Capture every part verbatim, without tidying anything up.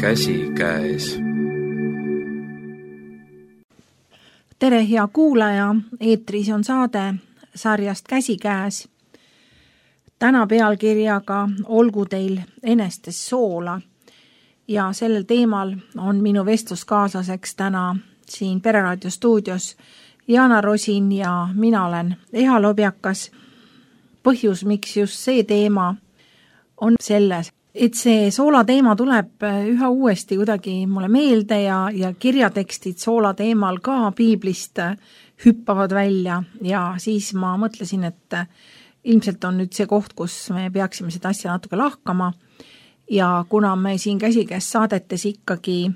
käsikäes. Tere, hea kuulaja, eetris on saade sarjast Käsikäes. Täna pealkirjaga Olgu teil enestes soola ja sellel teemal on minu vestluskaaslaseks täna siin Pereraadio stuudios Jana Rosin ja mina olen Eha Lobjakas. Põhjus, miks just see teema on selles, et see soola teema tuleb üha uuesti kuidagi mulle meelde ja, ja kirjatekstid soola teemal ka piiblist hüppavad välja ja siis ma mõtlesin, et ilmselt on nüüd see koht, kus me peaksime seda asja natuke lahkama ja kuna me siin Käsikäes saadetes ikkagi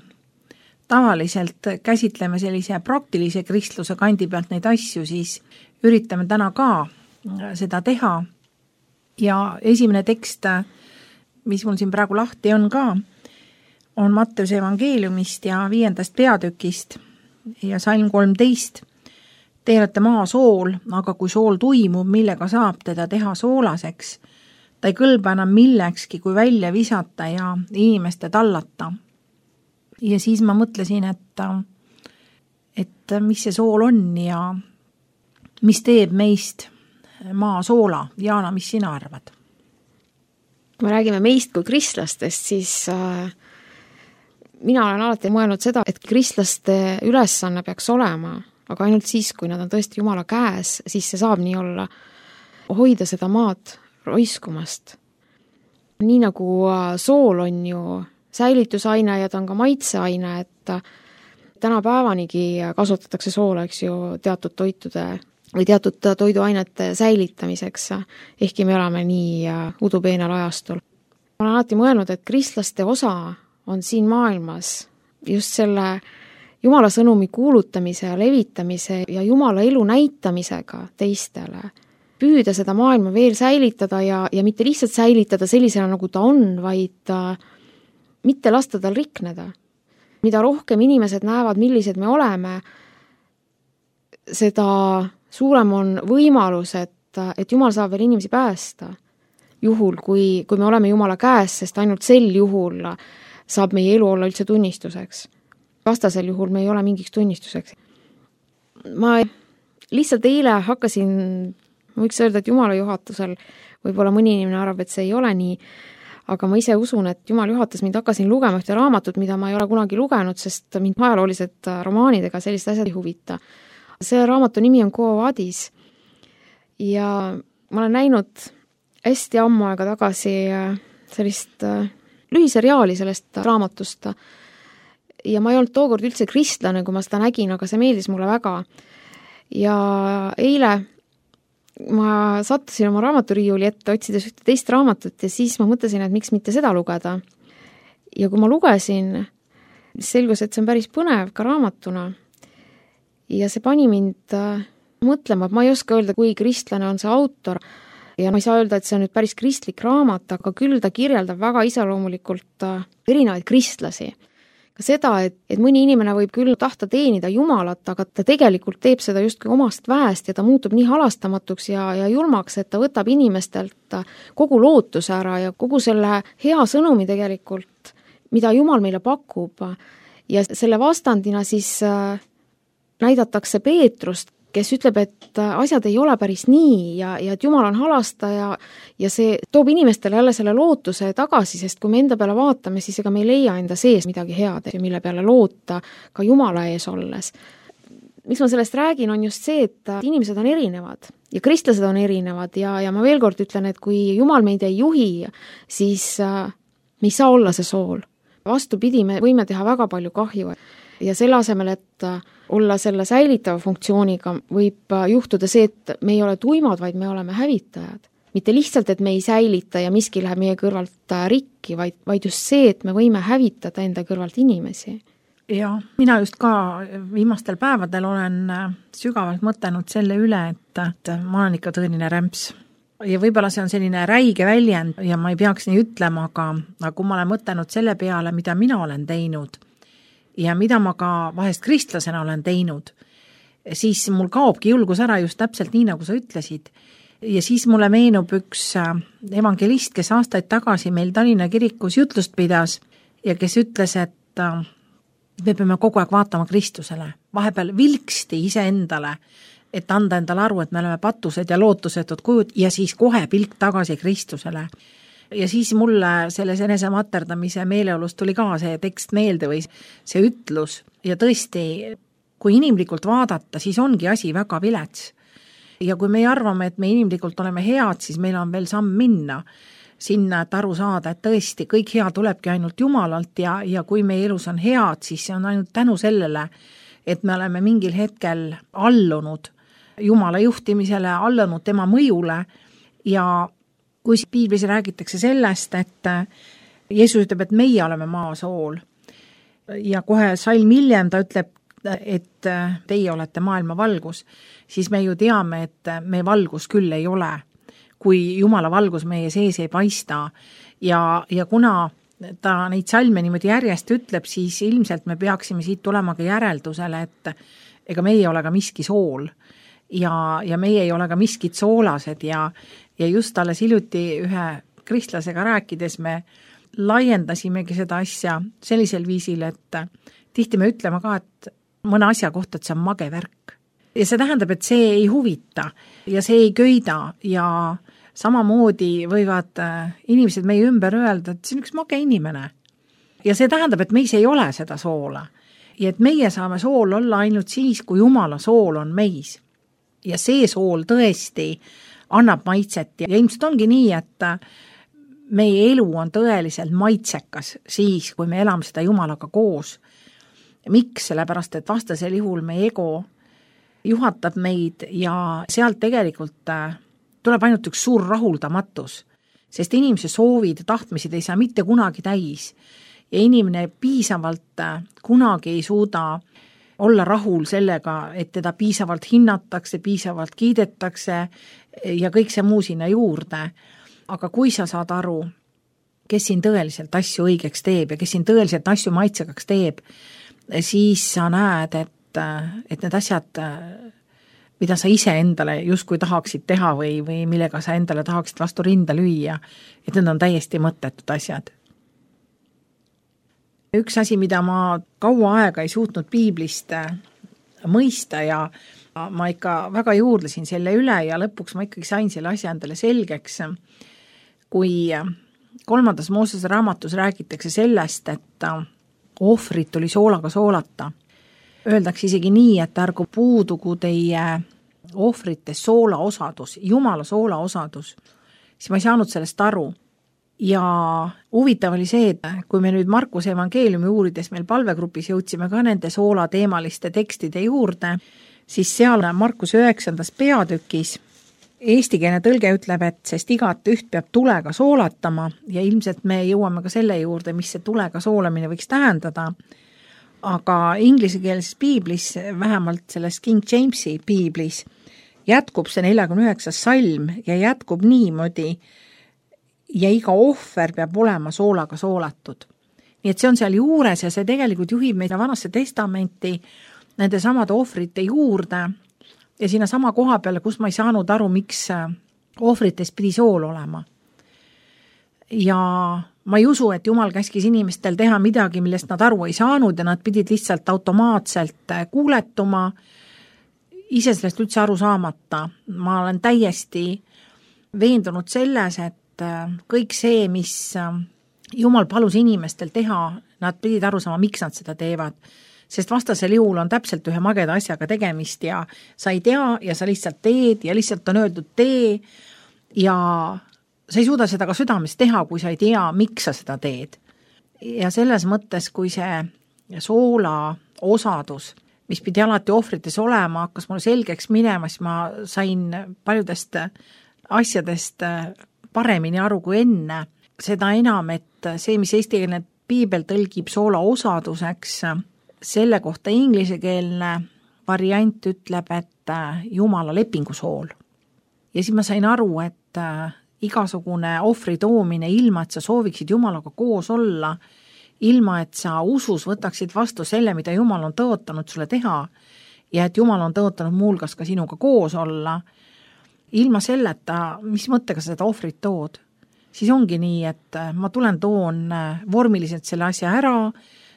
tavaliselt käsitleme sellise praktilise kristluse kandi pealt neid asju, siis üritame täna ka seda teha ja esimene tekst, mis mul siin praegu lahti on ka, on Matteuse evangeeliumist ja viiendast peatükist ja salm kolmteist. Te olete maa sool, aga kui sool tuimub, millega saab teda teha soolaseks, ta ei kõlba enam millekski, kui välja visata ja inimeste tallata. Ja siis ma mõtlesin, et, et mis see sool on ja mis teeb meist maa soola. Jaana, mis sina arvad? Kui me räägime meist kui kristlastest, siis äh, mina olen alati mõelnud seda, et kristlaste ülesanne peaks olema, aga ainult siis, kui nad on tõesti Jumala käes, siis see saab nii olla, hoida seda maad roiskumast. Nii nagu sool on ju säilitusaine ja ta on ka maitseaine, et tänapäevanigi kasutatakse soola, eks ju, teatud toitude või teatud toiduainete säilitamiseks, ehkki me oleme nii udupeenal ajastul. Ma olen alati mõelnud, et kristlaste osa on siin maailmas just selle Jumala sõnumi kuulutamise ja levitamise ja Jumala elu näitamisega teistele. Püüda seda maailma veel säilitada ja, ja mitte lihtsalt säilitada sellisena, nagu ta on, vaid mitte lasta tal rikneda. Mida rohkem inimesed näevad, millised me oleme, seda suurem on võimalus, et, et Jumal saab veel inimesi päästa. Juhul, kui, kui me oleme Jumala käes, sest ainult sel juhul saab meie elu olla üldse tunnistuseks. Vastasel juhul me ei ole mingiks tunnistuseks. Ma lihtsalt eile hakkasin, ma võiks öelda, et Jumala juhatusel, võib-olla mõni inimene arvab, et see ei ole nii, aga ma ise usun, et Jumal juhatas mind, hakkasin lugema ühte raamatut, mida ma ei ole kunagi lugenud, sest mind ajaloolised romaanidega sellist asjad ei huvita. See raamatu nimi on Quo Vadis ja ma olen näinud hästi ammu aega tagasi sellist lühiseriaali sellest raamatust ja ma ei olnud tookord üldse kristlane, kui ma seda nägin, aga see meeldis mulle väga. Ja eile ma sattusin oma raamaturiiuli ette, otsides ühte teist raamatut ja siis ma mõtlesin, et miks mitte seda lugeda. Ja kui ma lugesin, selgus, et see on päris põnev ka raamatuna. Ja see pani mind mõtlema, et ma ei oska öelda, kui kristlane on see autor ja ma ei saa öelda, et see on nüüd päris kristlik raamat, aga küll ta kirjeldab väga iseloomulikult erinevaid kristlasi. Ka seda, et, et mõni inimene võib küll tahta teenida Jumalat, aga ta tegelikult teeb seda justkui omast väest ja ta muutub nii halastamatuks ja, ja julmaks, et ta võtab inimestelt kogu lootuse ära ja kogu selle hea sõnumi tegelikult, mida Jumal meile pakub. Ja selle vastandina siis näidatakse Peetrust, kes ütleb, et asjad ei ole päris nii ja, ja et Jumal on halastaja ja see toob inimestele jälle selle lootuse tagasi, sest kui me enda peale vaatame, siis ega me ei leia enda sees midagi head, mille peale loota ka Jumala ees olles. Miks ma sellest räägin, on just see, et inimesed on erinevad ja kristlased on erinevad ja, ja ma veel kord ütlen, et kui Jumal meid ei juhi, siis me ei saa olla see sool. Vastupidi, me võime teha väga palju kahju ja selle asemel, et olla selle säilitava funktsiooniga, võib juhtuda see, et me ei ole tuimad, vaid me oleme hävitajad. Mitte lihtsalt, et me ei säilita ja miski läheb meie kõrvalt rikki, vaid, vaid just see, et me võime hävitada enda kõrvalt inimesi. Ja mina just ka viimastel päevadel olen sügavalt mõtelnud selle üle, et, et ma olen ikka tõeline rämps. Ja võib-olla see on selline räige väljend ja ma ei peaks nii ütlema, aga, aga kui ma olen mõtelnud selle peale, mida mina olen teinud ja mida ma ka vahest kristlasena olen teinud, siis mul kaobki julgus ära just täpselt nii, nagu sa ütlesid. Ja siis mulle meenub üks evangelist, kes aastaid tagasi meil Tallinna kirikus jutlust pidas ja kes ütles, et me peame kogu aeg vaatama Kristusele, vahepeal vilksti iseendale, et anda endale aru, et me oleme patused ja lootusetud kujud ja siis kohe pilk tagasi Kristusele. Ja siis mulle selles enese materdamise meeleolust tuli ka see tekst meelde või see ütlus ja tõesti, kui inimlikult vaadata, siis ongi asi väga vilets. Ja kui me arvame, et me inimlikult oleme head, siis meil on veel samm minna sinna, et aru saada, et tõesti kõik hea tulebki ainult Jumalalt ja, ja kui meie elus on head, siis see on ainult tänu sellele, et me oleme mingil hetkel allunud Jumala juhtimisele, allunud tema mõjule ja kui piiblis räägitakse sellest, et Jeesus ütleb, et meie oleme maasool ja kohe salm hiljem ta ütleb, et teie olete maailma valgus, siis me ju teame, et me valgus küll ei ole, kui Jumala valgus meie sees ei paista ja, ja kuna ta neid salme niimoodi järjest ütleb, siis ilmselt me peaksime siit tulema ka järeldusele, et ega meie ei ole ka miski sool ja, ja meie ei ole ka miskid soolased ja, ja just alles hiljuti ühe kristlasega rääkides me laiendasimegi seda asja sellisel viisil, et tihti me ütleme ka, et mõne asja kohta, et see on mage värk. Ja see tähendab, et see ei huvita ja see ei köida ja samamoodi võivad inimesed meie ümber öelda, et see on üks mage inimene. Ja see tähendab, et meis ei ole seda soola. Ja et meie saame sool olla ainult siis, kui Jumala sool on meis. Ja see sool tõesti annab maitset ja ilmselt ongi nii, et meie elu on tõeliselt maitsekas siis, kui me elame seda Jumalaga koos. Miks? Sellepärast, et vastasel juhul meie ego juhatab meid ja sealt tegelikult tuleb ainult üks suur rahuldamatus, sest inimese soovid ja tahtmised ei saa mitte kunagi täis ja inimene piisavalt kunagi ei suuda olla rahul sellega, et teda piisavalt hinnatakse, piisavalt kiidetakse ja kõik see muu sinna juurde. Aga kui sa saad aru, kes siin tõeliselt asju õigeks teeb ja kes siin tõeliselt asju maitsekaks teeb, siis sa näed, et, et need asjad, mida sa ise endale justkui tahaksid teha või, või millega sa endale tahaksid vastu rinda lüüa, et need on täiesti mõttetud asjad. Üks asi, mida ma kaua aega ei suutnud piiblist mõista ja ma ikka väga juurdlesin selle üle ja lõpuks ma ikkagi sain selle asja endale selgeks, kui kolmandas Moosese raamatus räägitakse sellest, et ohvrit tuli soolaga soolata. Öeldakse isegi nii, et ärgu puudugu teie ohvrite soola osadus, Jumala soola osadus, siis ma ei saanud sellest aru. Ja huvitav oli see, et kui me nüüd Markuse evangeeliumi uurides meil palvegrupis jõudsime ka nende soola teemaliste tekstide juurde, siis seal Markuse üheksandas peatükis eestikeelne tõlge ütleb, et sest igat üht peab tulega soolatama ja ilmselt me jõuame ka selle juurde, mis see tulega soolamine võiks tähendada. Aga inglisekeelses piiblis, vähemalt selles King Jamesi piiblis, jätkub see neljakümne üheksas salm ja jätkub niimoodi ja iga ohver peab olema soolaga soolatud. Nii et see on seal juures ja see tegelikult juhib meid Vanasse testamenti nende samade ohvrite juurde ja sinna sama koha peale, kus ma ei saanud aru, miks ohvrites pidi sool olema. Ja ma ei usu, et Jumal käskis inimestel teha midagi, millest nad aru ei saanud ja nad pidid lihtsalt automaatselt kuuletuma, ise sellest üldse aru saamata. Ma olen täiesti veendunud selles, et kõik see, mis Jumal palus inimestel teha, nad pidid aru saama, miks nad seda teevad. Sest vastasel juhul on täpselt ühe mageda asjaga tegemist ja sa ei tea ja sa lihtsalt teed ja lihtsalt on öeldud tee ja sa ei suuda seda ka südames teha, kui sa ei tea, miks sa seda teed. Ja selles mõttes, kui see soola osadus, mis pidi alati ohvrites olema, hakkas mulle selgeks minema, siis ma sain paljudest asjadest paremini aru kui enne. Seda enam, et see, mis eestikeelne piibel tõlgib soola osaduseks, selle kohta inglisekeelne variant ütleb, et Jumala lepingusool. Ja siis ma sain aru, et igasugune ohvri toomine ilma, et sa sooviksid Jumalaga koos olla, ilma, et sa usus võtaksid vastu selle, mida Jumal on tõotanud sulle teha ja et Jumal on tõotanud muulgas ka sinuga koos olla, ilma selleta, mis mõttega sa seda ohvrit tood. siis ongi nii, et ma tulen toon vormiliselt selle asja ära,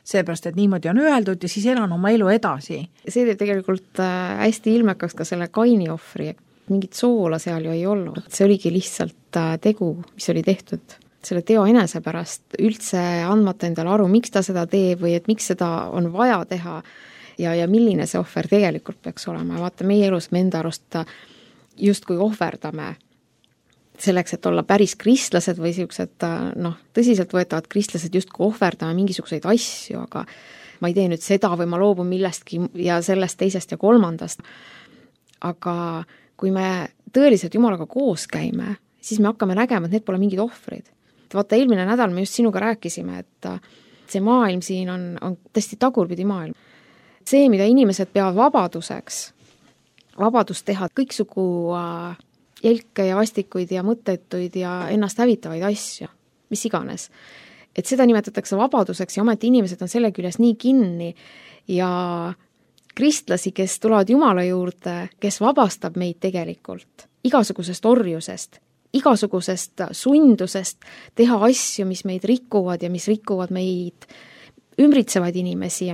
seepärast, et niimoodi on öeldud ja siis elan oma elu edasi. See teeb tegelikult hästi ilmekaks ka selle Kaini ohvri, mingit soola seal ju ei olnud. See oligi lihtsalt tegu, mis oli tehtud selle teo enese pärast, üldse andmata endale aru, miks ta seda teeb või et miks seda on vaja teha ja, ja milline see ohver tegelikult peaks olema. Ja vaata, meie elus me enda arust justkui ohverdame selleks, et olla päris kristlased või siuksed, noh, tõsiselt võetavad kristlased justkui ohverdame mingisuguseid asju, aga ma ei tee nüüd seda või ma loobun millestki ja sellest, teisest ja kolmandast. Aga kui me tõeliselt Jumalaga koos käime, siis me hakkame nägema, et need pole mingid ohvrid. Vaata, eelmine nädal me just sinuga rääkisime, et see maailm siin on, on tõesti tagurpidi maailm. See, mida inimesed peavad vabaduseks, vabadust teha kõiksugu jälke ja vastikuid ja mõttetuid ja ennast hävitavaid asju, mis iganes. Et seda nimetatakse vabaduseks ja ometi inimesed on selle küljes nii kinni ja kristlasi, kes tulevad Jumala juurde, kes vabastab meid tegelikult igasugusest orjusest, igasugusest sundusest teha asju, mis meid rikuvad ja mis rikuvad meid ümbritsevaid inimesi,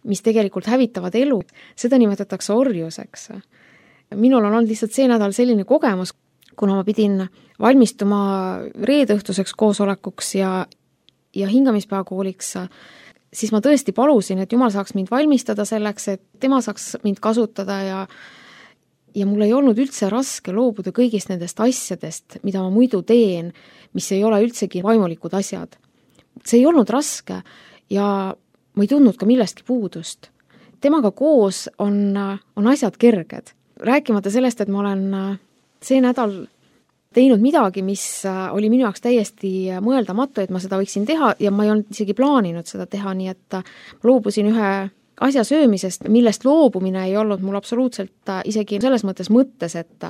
mis tegelikult hävitavad elu. Seda nimetatakse orjuseks. Minul on olnud lihtsalt see nädal selline kogemus, kuna ma pidin valmistuma reedeõhtuseks koosolekuks ja, ja hingamispäevakooliks, siis ma tõesti palusin, et Jumal saaks mind valmistada selleks, et tema saaks mind kasutada ja Ja mul ei olnud üldse raske loobuda kõigist nendest asjadest, mida ma muidu teen, mis ei ole üldsegi vaimulikud asjad. See ei olnud raske ja ma ei tundnud ka millestki puudust. Temaga koos on, on asjad kerged. Rääkimata sellest, et ma olen see nädal teinud midagi, mis oli minu jaoks täiesti mõeldamatu, et ma seda võiksin teha ja ma ei olnud isegi plaaninud seda teha, nii et ma loobusin ühe asja söömisest, millest loobumine ei olnud mul absoluutselt isegi selles mõttes mõttes, et,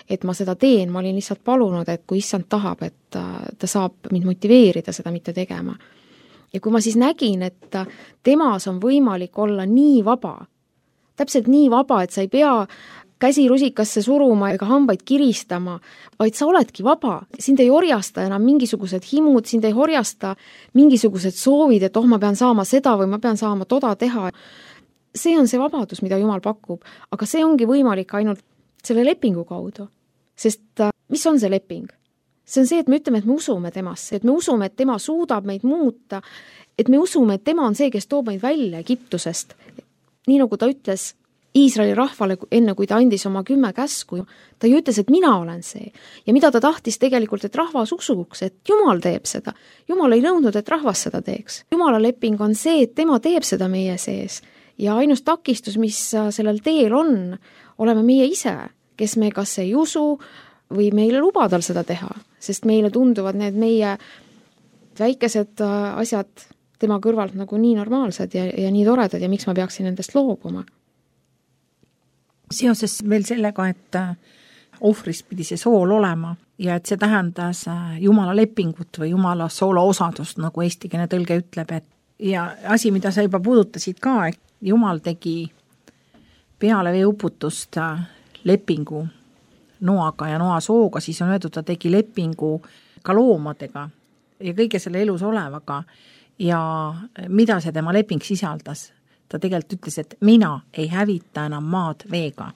et ma seda teen, ma olin lihtsalt palunud, et kui issand tahab, et ta saab mind motiveerida seda mitte tegema. Ja kui ma siis nägin, et temas on võimalik olla nii vaba, täpselt nii vaba, et sa ei pea käsi rusikasse suruma ega hambaid kiristama, vaid sa oledki vaba. Sind ei orjasta enam mingisugused himud, sind ei orjasta mingisugused soovid, et oh, ma pean saama seda või ma pean saama toda teha. See on see vabadus, mida Jumal pakub, aga see ongi võimalik ainult selle lepingu kaudu. Sest mis on see leping? See on see, et me ütleme, et me usume temasse, et me usume, et tema suudab meid muuta, et me usume, et tema on see, kes toob meid välja Egiptusest. Nii nagu ta ütles Iisraeli rahvale, enne kui ta andis oma kümme käsku, ta ju ütles, et mina olen see. Ja mida ta tahtis tegelikult, et rahvas usuks, et Jumal teeb seda. Jumal ei nõudnud, et rahvas seda teeks. Jumala leping on see, et tema teeb seda meie sees. Ja ainus takistus, mis sellel teel on, oleme meie ise, kes me kas ei usu või meile luba tal seda teha. Sest meile tunduvad need meie väikesed asjad tema kõrvalt nagu nii normaalsed ja, ja nii toredad ja miks ma peaksin nendest loobuma. Seoses veel sellega, et ohvris pidi see sool olema ja et see tähendas Jumala lepingut või Jumala soola osadust, nagu eestikeelne tõlge ütleb, et ja asi, mida sa juba puudutasid ka, et Jumal tegi peale veeuputust lepingu Noaga ja Noa sooga, siis on öeldud, ta tegi lepingu ka loomadega ja kõige selle elus olevaga ja mida see tema leping sisaldas. Ta tegelikult ütles, et mina ei hävita enam maad veega.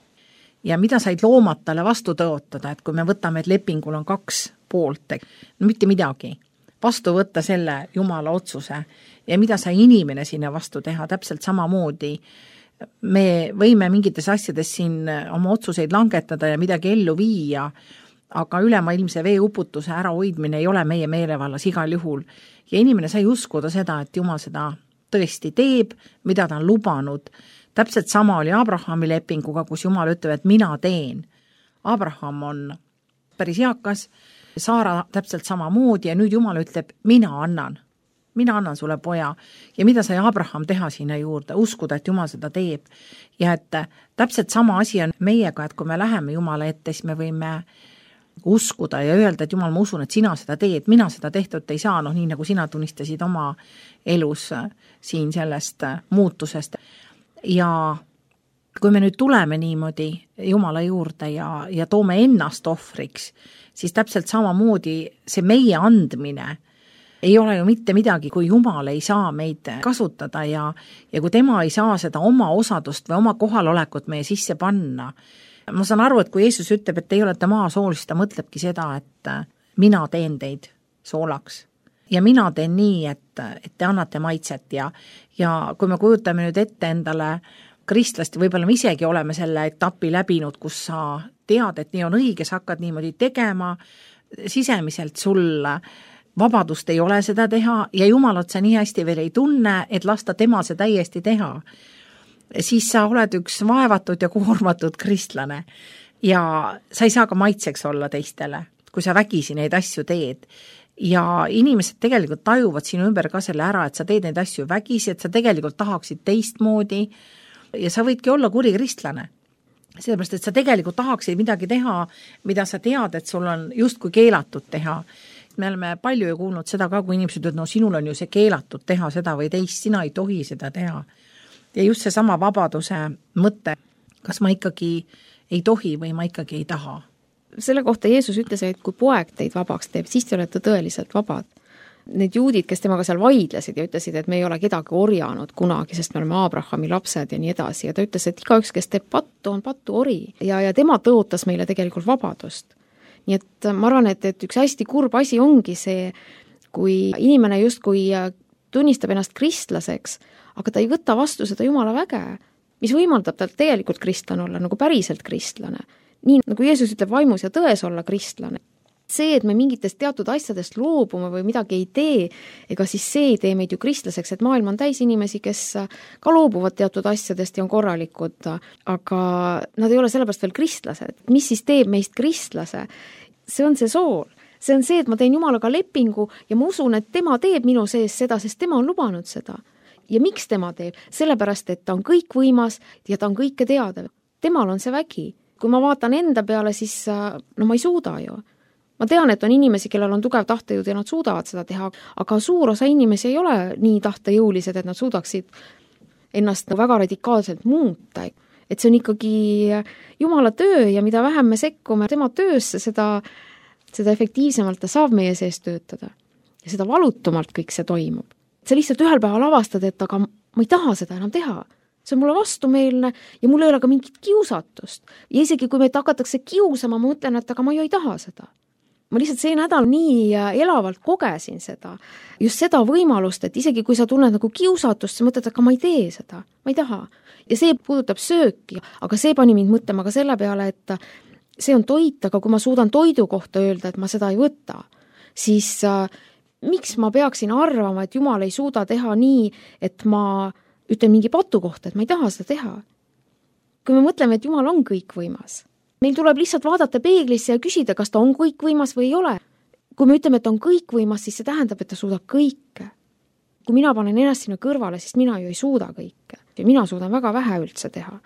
Ja mida said loomad talle vastu tõotada, et kui me võtame, et lepingul on kaks poolt, no mitte midagi, vastu võtta selle Jumala otsuse ja mida sai inimene sinna vastu teha, täpselt samamoodi. Me võime mingites asjades siin oma otsuseid langetada ja midagi ellu viia, aga ülemaailmse veeuputuse ärahoidmine ei ole meie meelevallas igal juhul. Ja inimene sai uskuda seda, et Jumal seda tõesti teeb, mida ta on lubanud. Täpselt sama oli Abrahami lepinguga, kus Jumal ütleb, et mina teen. Abraham on päris eakas, Saara täpselt sama moodi ja nüüd Jumal ütleb, mina annan. Mina annan sulle poja. Ja mida sai Abraham teha sinna juurde? Uskuda, et Jumal seda teeb. Ja et täpselt sama asi on meiega, et kui me läheme Jumala ette, siis me võime uskuda ja öelda, et Jumal, ma usun, et sina seda teed, mina seda tehtud ei saa, noh nii nagu sina tunnistasid oma elus siin sellest muutusest. Ja kui me nüüd tuleme niimoodi Jumala juurde ja, ja toome ennast ohvriks, siis täpselt samamoodi see meie andmine ei ole ju mitte midagi, kui Jumal ei saa meid kasutada ja, ja kui tema ei saa seda oma osadust või oma kohalolekut meie sisse panna. Ma saan aru, et kui Jeesus ütleb, et te ei olete maasool, siis ta mõtlebki seda, et mina teen teid soolaks. Ja mina teen nii, et, et te annate maitset ja, ja kui me kujutame nüüd ette endale kristlast, võib-olla me isegi oleme selle etapi läbinud, kus sa tead, et nii on õige, sa hakkad niimoodi tegema, sisemiselt sul vabadust ei ole seda teha ja Jumalat sa nii hästi veel ei tunne, et lasta tema see täiesti teha. Siis sa oled üks vaevatud ja koormatud kristlane ja sa ei saa ka maitseks olla teistele, kui sa vägisi neid asju teed. Ja inimesed tegelikult tajuvad sinu ümber ka selle ära, et sa teed neid asju vägisi, et sa tegelikult tahaksid teistmoodi ja sa võidki olla kuri kristlane. Sellepärast, et sa tegelikult tahaksid midagi teha, mida sa tead, et sul on justkui keelatud teha. Me oleme palju ju kuulnud seda ka, kui inimesed ütlevad, no sinul on ju see keelatud teha seda või teist, sina ei tohi seda teha. Ja just see sama vabaduse mõte, kas ma ikkagi ei tohi või ma ikkagi ei taha. Selle kohta Jeesus ütles, et kui poeg teid vabaks teeb, siis te olete tõeliselt vabad. Need juudid, kes temaga seal vaidlesid ja ütlesid, et me ei ole kedagi orjanud kunagi, sest me oleme Abrahami lapsed ja nii edasi. Ja ta ütles, et igaüks, kes teeb pattu, on pattu ori. Ja, ja tema tõotas meile tegelikult vabadust. Nii et ma arvan, et, et üks hästi kurb asi ongi see, kui inimene justkui tunnistab ennast kristlaseks, aga ta ei võta vastu seda Jumala väge, mis võimaldab tal tegelikult kristlane olla, nagu päriselt kristlane. Nii nagu Jeesus ütleb vaimus ja tões olla kristlane. See, et me mingitest teatud asjadest loobume või midagi ei tee, ega siis see ei tee meid ju kristlaseks, et maailm on täis inimesi, kes ka loobuvad teatud asjadest ja on korralikud, aga nad ei ole sellepärast veel kristlased. Mis siis teeb meist kristlase? See on see sool. See on see, et ma teen Jumalaga lepingu ja ma usun, et tema teeb minu sees seda, sest tema on lubanud seda. Ja miks tema teeb? Sellepärast, et ta on kõik võimas ja ta on kõike teada. Temal on see vägi. Kui ma vaatan enda peale, siis no ma ei suuda ju. Ma tean, et on inimesi, kellel on tugev tahtejõud ja nad suudavad seda teha, aga suur osa inimesi ei ole nii tahtejõulised, et nad suudaksid ennast väga radikaalselt muuta. Et see on ikkagi Jumala töö ja mida vähem me sekkume tema töösse, seda, seda efektiivsemalt ta saab meie sees töötada. Ja seda valutumalt kõik see toimub. Sa lihtsalt ühel päeval avastad, et aga ma ei taha seda enam teha. See on mulle vastumeelne ja mul ei ole ka mingit kiusatust. Ja isegi kui meid hakatakse kiusama, ma mõtlen, et aga ma ju ei taha seda. Ma lihtsalt see nädal nii elavalt kogesin seda, just seda võimalust, et isegi kui sa tunned nagu kiusatust, sa mõtled, aga ma ei tee seda, ma ei taha. Ja see puudutab sööki, aga see pani mind mõtlema ka selle peale, et see on toit, aga kui ma suudan toidu kohta öelda, et ma seda ei võta, siis äh, miks ma peaksin arvama, et Jumal ei suuda teha nii, et ma ütlen mingi patu kohta, et ma ei taha seda teha. Kui me mõtleme, et Jumal on kõikvõimas, meil tuleb lihtsalt vaadata peeglisse ja küsida, kas ta on kõikvõimas või ei ole. Kui me ütleme, et on kõikvõimas, siis see tähendab, et ta suudab kõike. Kui mina panen ennast sinna kõrvale, siis mina ju ei suuda kõike. Ja mina suudan väga vähe üldse teha.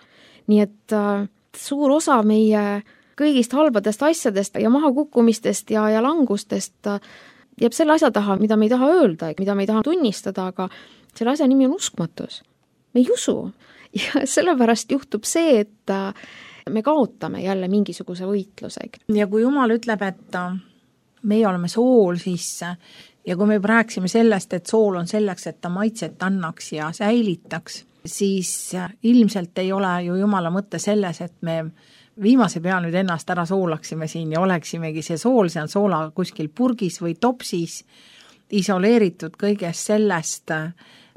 Nii et äh, suur osa meie kõigist halbadest asjadest ja mahakukkumistest ja, ja langustest äh, jääb selle asja taha, mida me ei taha öelda, mida me ei taha tunnistada, aga selle asja nimi on uskmatus. Me ei usu. Ja sellepärast juhtub see, et äh, me kaotame jälle mingisuguse võitlusega. Ja kui Jumal ütleb, et meie oleme sool, siis ja kui me rääksime sellest, et sool on selleks, et ta maitset annaks ja säilitaks, siis ilmselt ei ole ju Jumala mõtte selles, et me viimase pea nüüd ennast ära soolaksime siin ja oleksimegi see sool, see on soola kuskil purgis või topsis, isoleeritud kõigest sellest,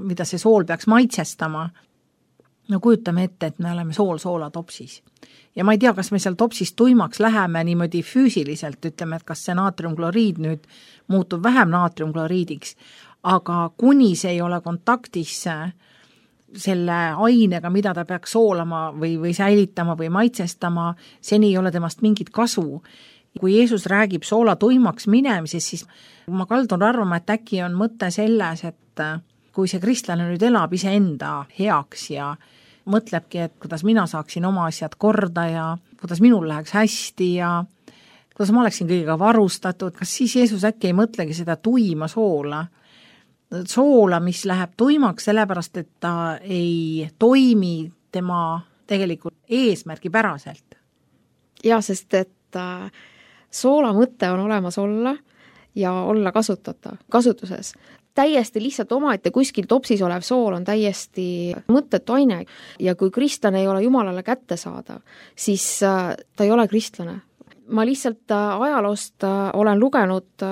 mida see sool peaks maitsestama. No kujutame ette, et me oleme sool soola topsis. Ja ma ei tea, kas me seal topsis tuimaks läheme niimoodi füüsiliselt, ütleme, et kas see naatriumkloriid nüüd muutub vähem naatriumkloriidiks, aga kuni see ei ole kontaktis selle ainega, mida ta peaks soolama või, või säilitama või maitsestama, seni ei ole temast mingit kasu. Kui Jeesus räägib soola tuimaks minemises, siis ma kaldun arvama, et äkki on mõte selles, et kui see kristlane nüüd elab iseenda heaks ja mõtlebki, et kuidas mina saaksin oma asjad korda ja kuidas minul läheks hästi ja kuidas ma oleksin kõigega varustatud, kas siis Jeesus äkki ei mõtlegi seda tuima soola, soola, mis läheb tuimaks sellepärast, et ta ei toimi tema tegelikult eesmärgi päraselt. Ja, sest et äh, Soola mõte on olemas olla ja olla kasutatav, kasutuses. Täiesti lihtsalt omaette kuskil topsis olev sool on täiesti mõttetu aine ja kui kristlane ei ole Jumalale kättesaadav, siis ta ei ole kristlane. Ma lihtsalt ajaloost olen lugenud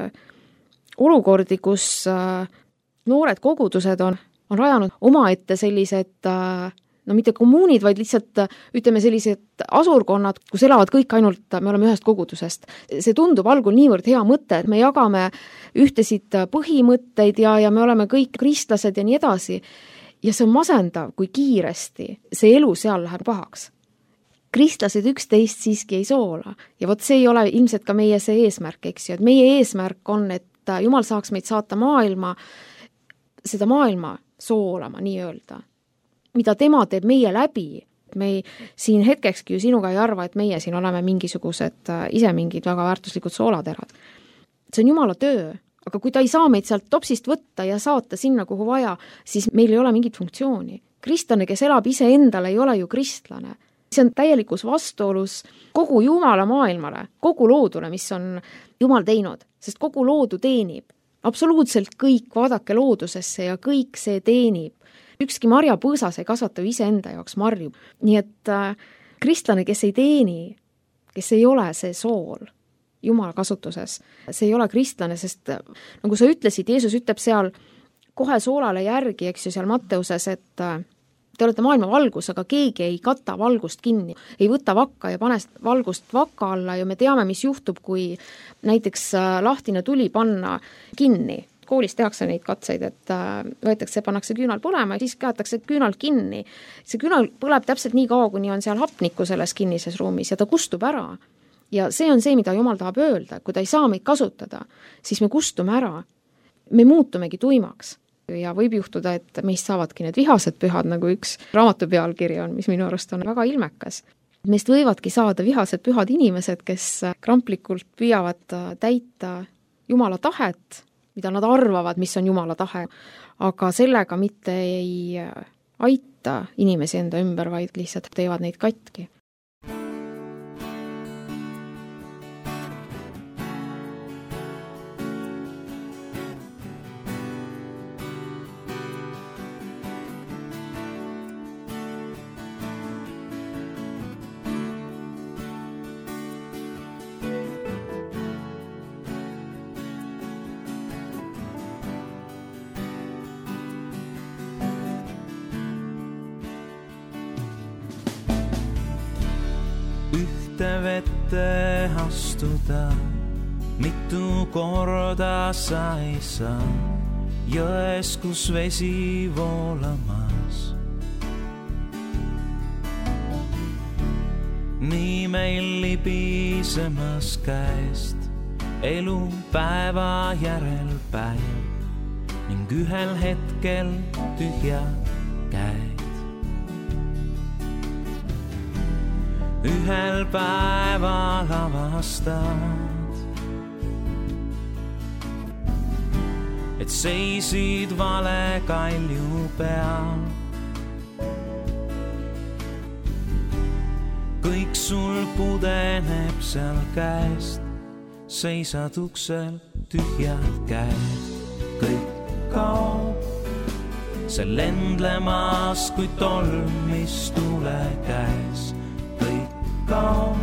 olukordi, kus noored kogudused on, on rajanud omaette sellised, no mitte kommuunid, vaid lihtsalt ütleme sellised asurkonnad, kus elavad kõik ainult, me oleme ühest kogudusest. See tundub algul niivõrd hea mõte, et me jagame ühtesid põhimõtteid ja, ja me oleme kõik kristlased ja nii edasi. Ja see on masendav, kui kiiresti see elu seal läheb pahaks. Kristlased üksteist siiski ei soola ja vot see ei ole ilmselt ka meie see eesmärk, eks ju, et meie eesmärk on, et Jumal saaks meid saata maailma, seda maailma soolama nii-öelda, mida tema teeb meie läbi. Me ei, siin hetkekski ju sinuga ei arva, et meie siin oleme mingisugused ise mingid väga väärtuslikud soolaterad. See on Jumala töö, aga kui ta ei saa meid sealt topsist võtta ja saata sinna, kuhu vaja, siis meil ei ole mingit funktsiooni. Kristlane, kes elab ise endale, ei ole ju kristlane. See on täielikus vastuolus kogu Jumala maailmale, kogu loodule, mis on Jumal teinud, sest kogu loodu teenib. Absoluutselt kõik, vaadake loodusesse ja kõik see teenib. Ükski marjapõõsas ei kasvata ise enda jaoks marju. Nii et äh, kristlane, kes ei teeni, kes ei ole see sool Jumala kasutuses, see ei ole kristlane, sest nagu sa ütlesid, Jeesus ütleb seal kohe soolale järgi, eks ju seal Matteuses, et äh, te olete maailma valgus, aga keegi ei kata valgust kinni, ei võta vakka ja pane valgust vakka alla ja me teame, mis juhtub, kui näiteks lahtine tuli panna kinni. Koolis tehakse neid katseid, et võetakse, pannakse küünal põlema ja siis käetakse küünal kinni. See küünal põleb täpselt nii kaua, kuni on seal hapnikku selles kinnises ruumis ja ta kustub ära. Ja see on see, mida Jumal tahab öelda, kui ta ei saa meid kasutada, siis me kustume ära. Me muutumegi tuimaks. Ja võib juhtuda, et meist saavadki need vihased pühad, nagu üks raamatu pealkiri on, mis minu arust on väga ilmekas. Meist võivadki saada vihased pühad inimesed, kes kramplikult püüavad täita Jumala tahet, mida nad arvavad, mis on Jumala tahe, aga sellega mitte ei aita inimesi enda ümber, vaid lihtsalt teevad neid katki. Vette astuda, mitu korda sa ei saa, jões, kus vesi voolamas. Nii meil libisemas käest elu päeva järel päev ning ühel hetkel tühja käed. Ühel päeval avastad, et seisid vale kalju peal. Kõik sul pudeneb seal käest, seisad uksel tühjad käed. Kõik kaob, see lendlemas kui tolm, mis tule käes. Kaob,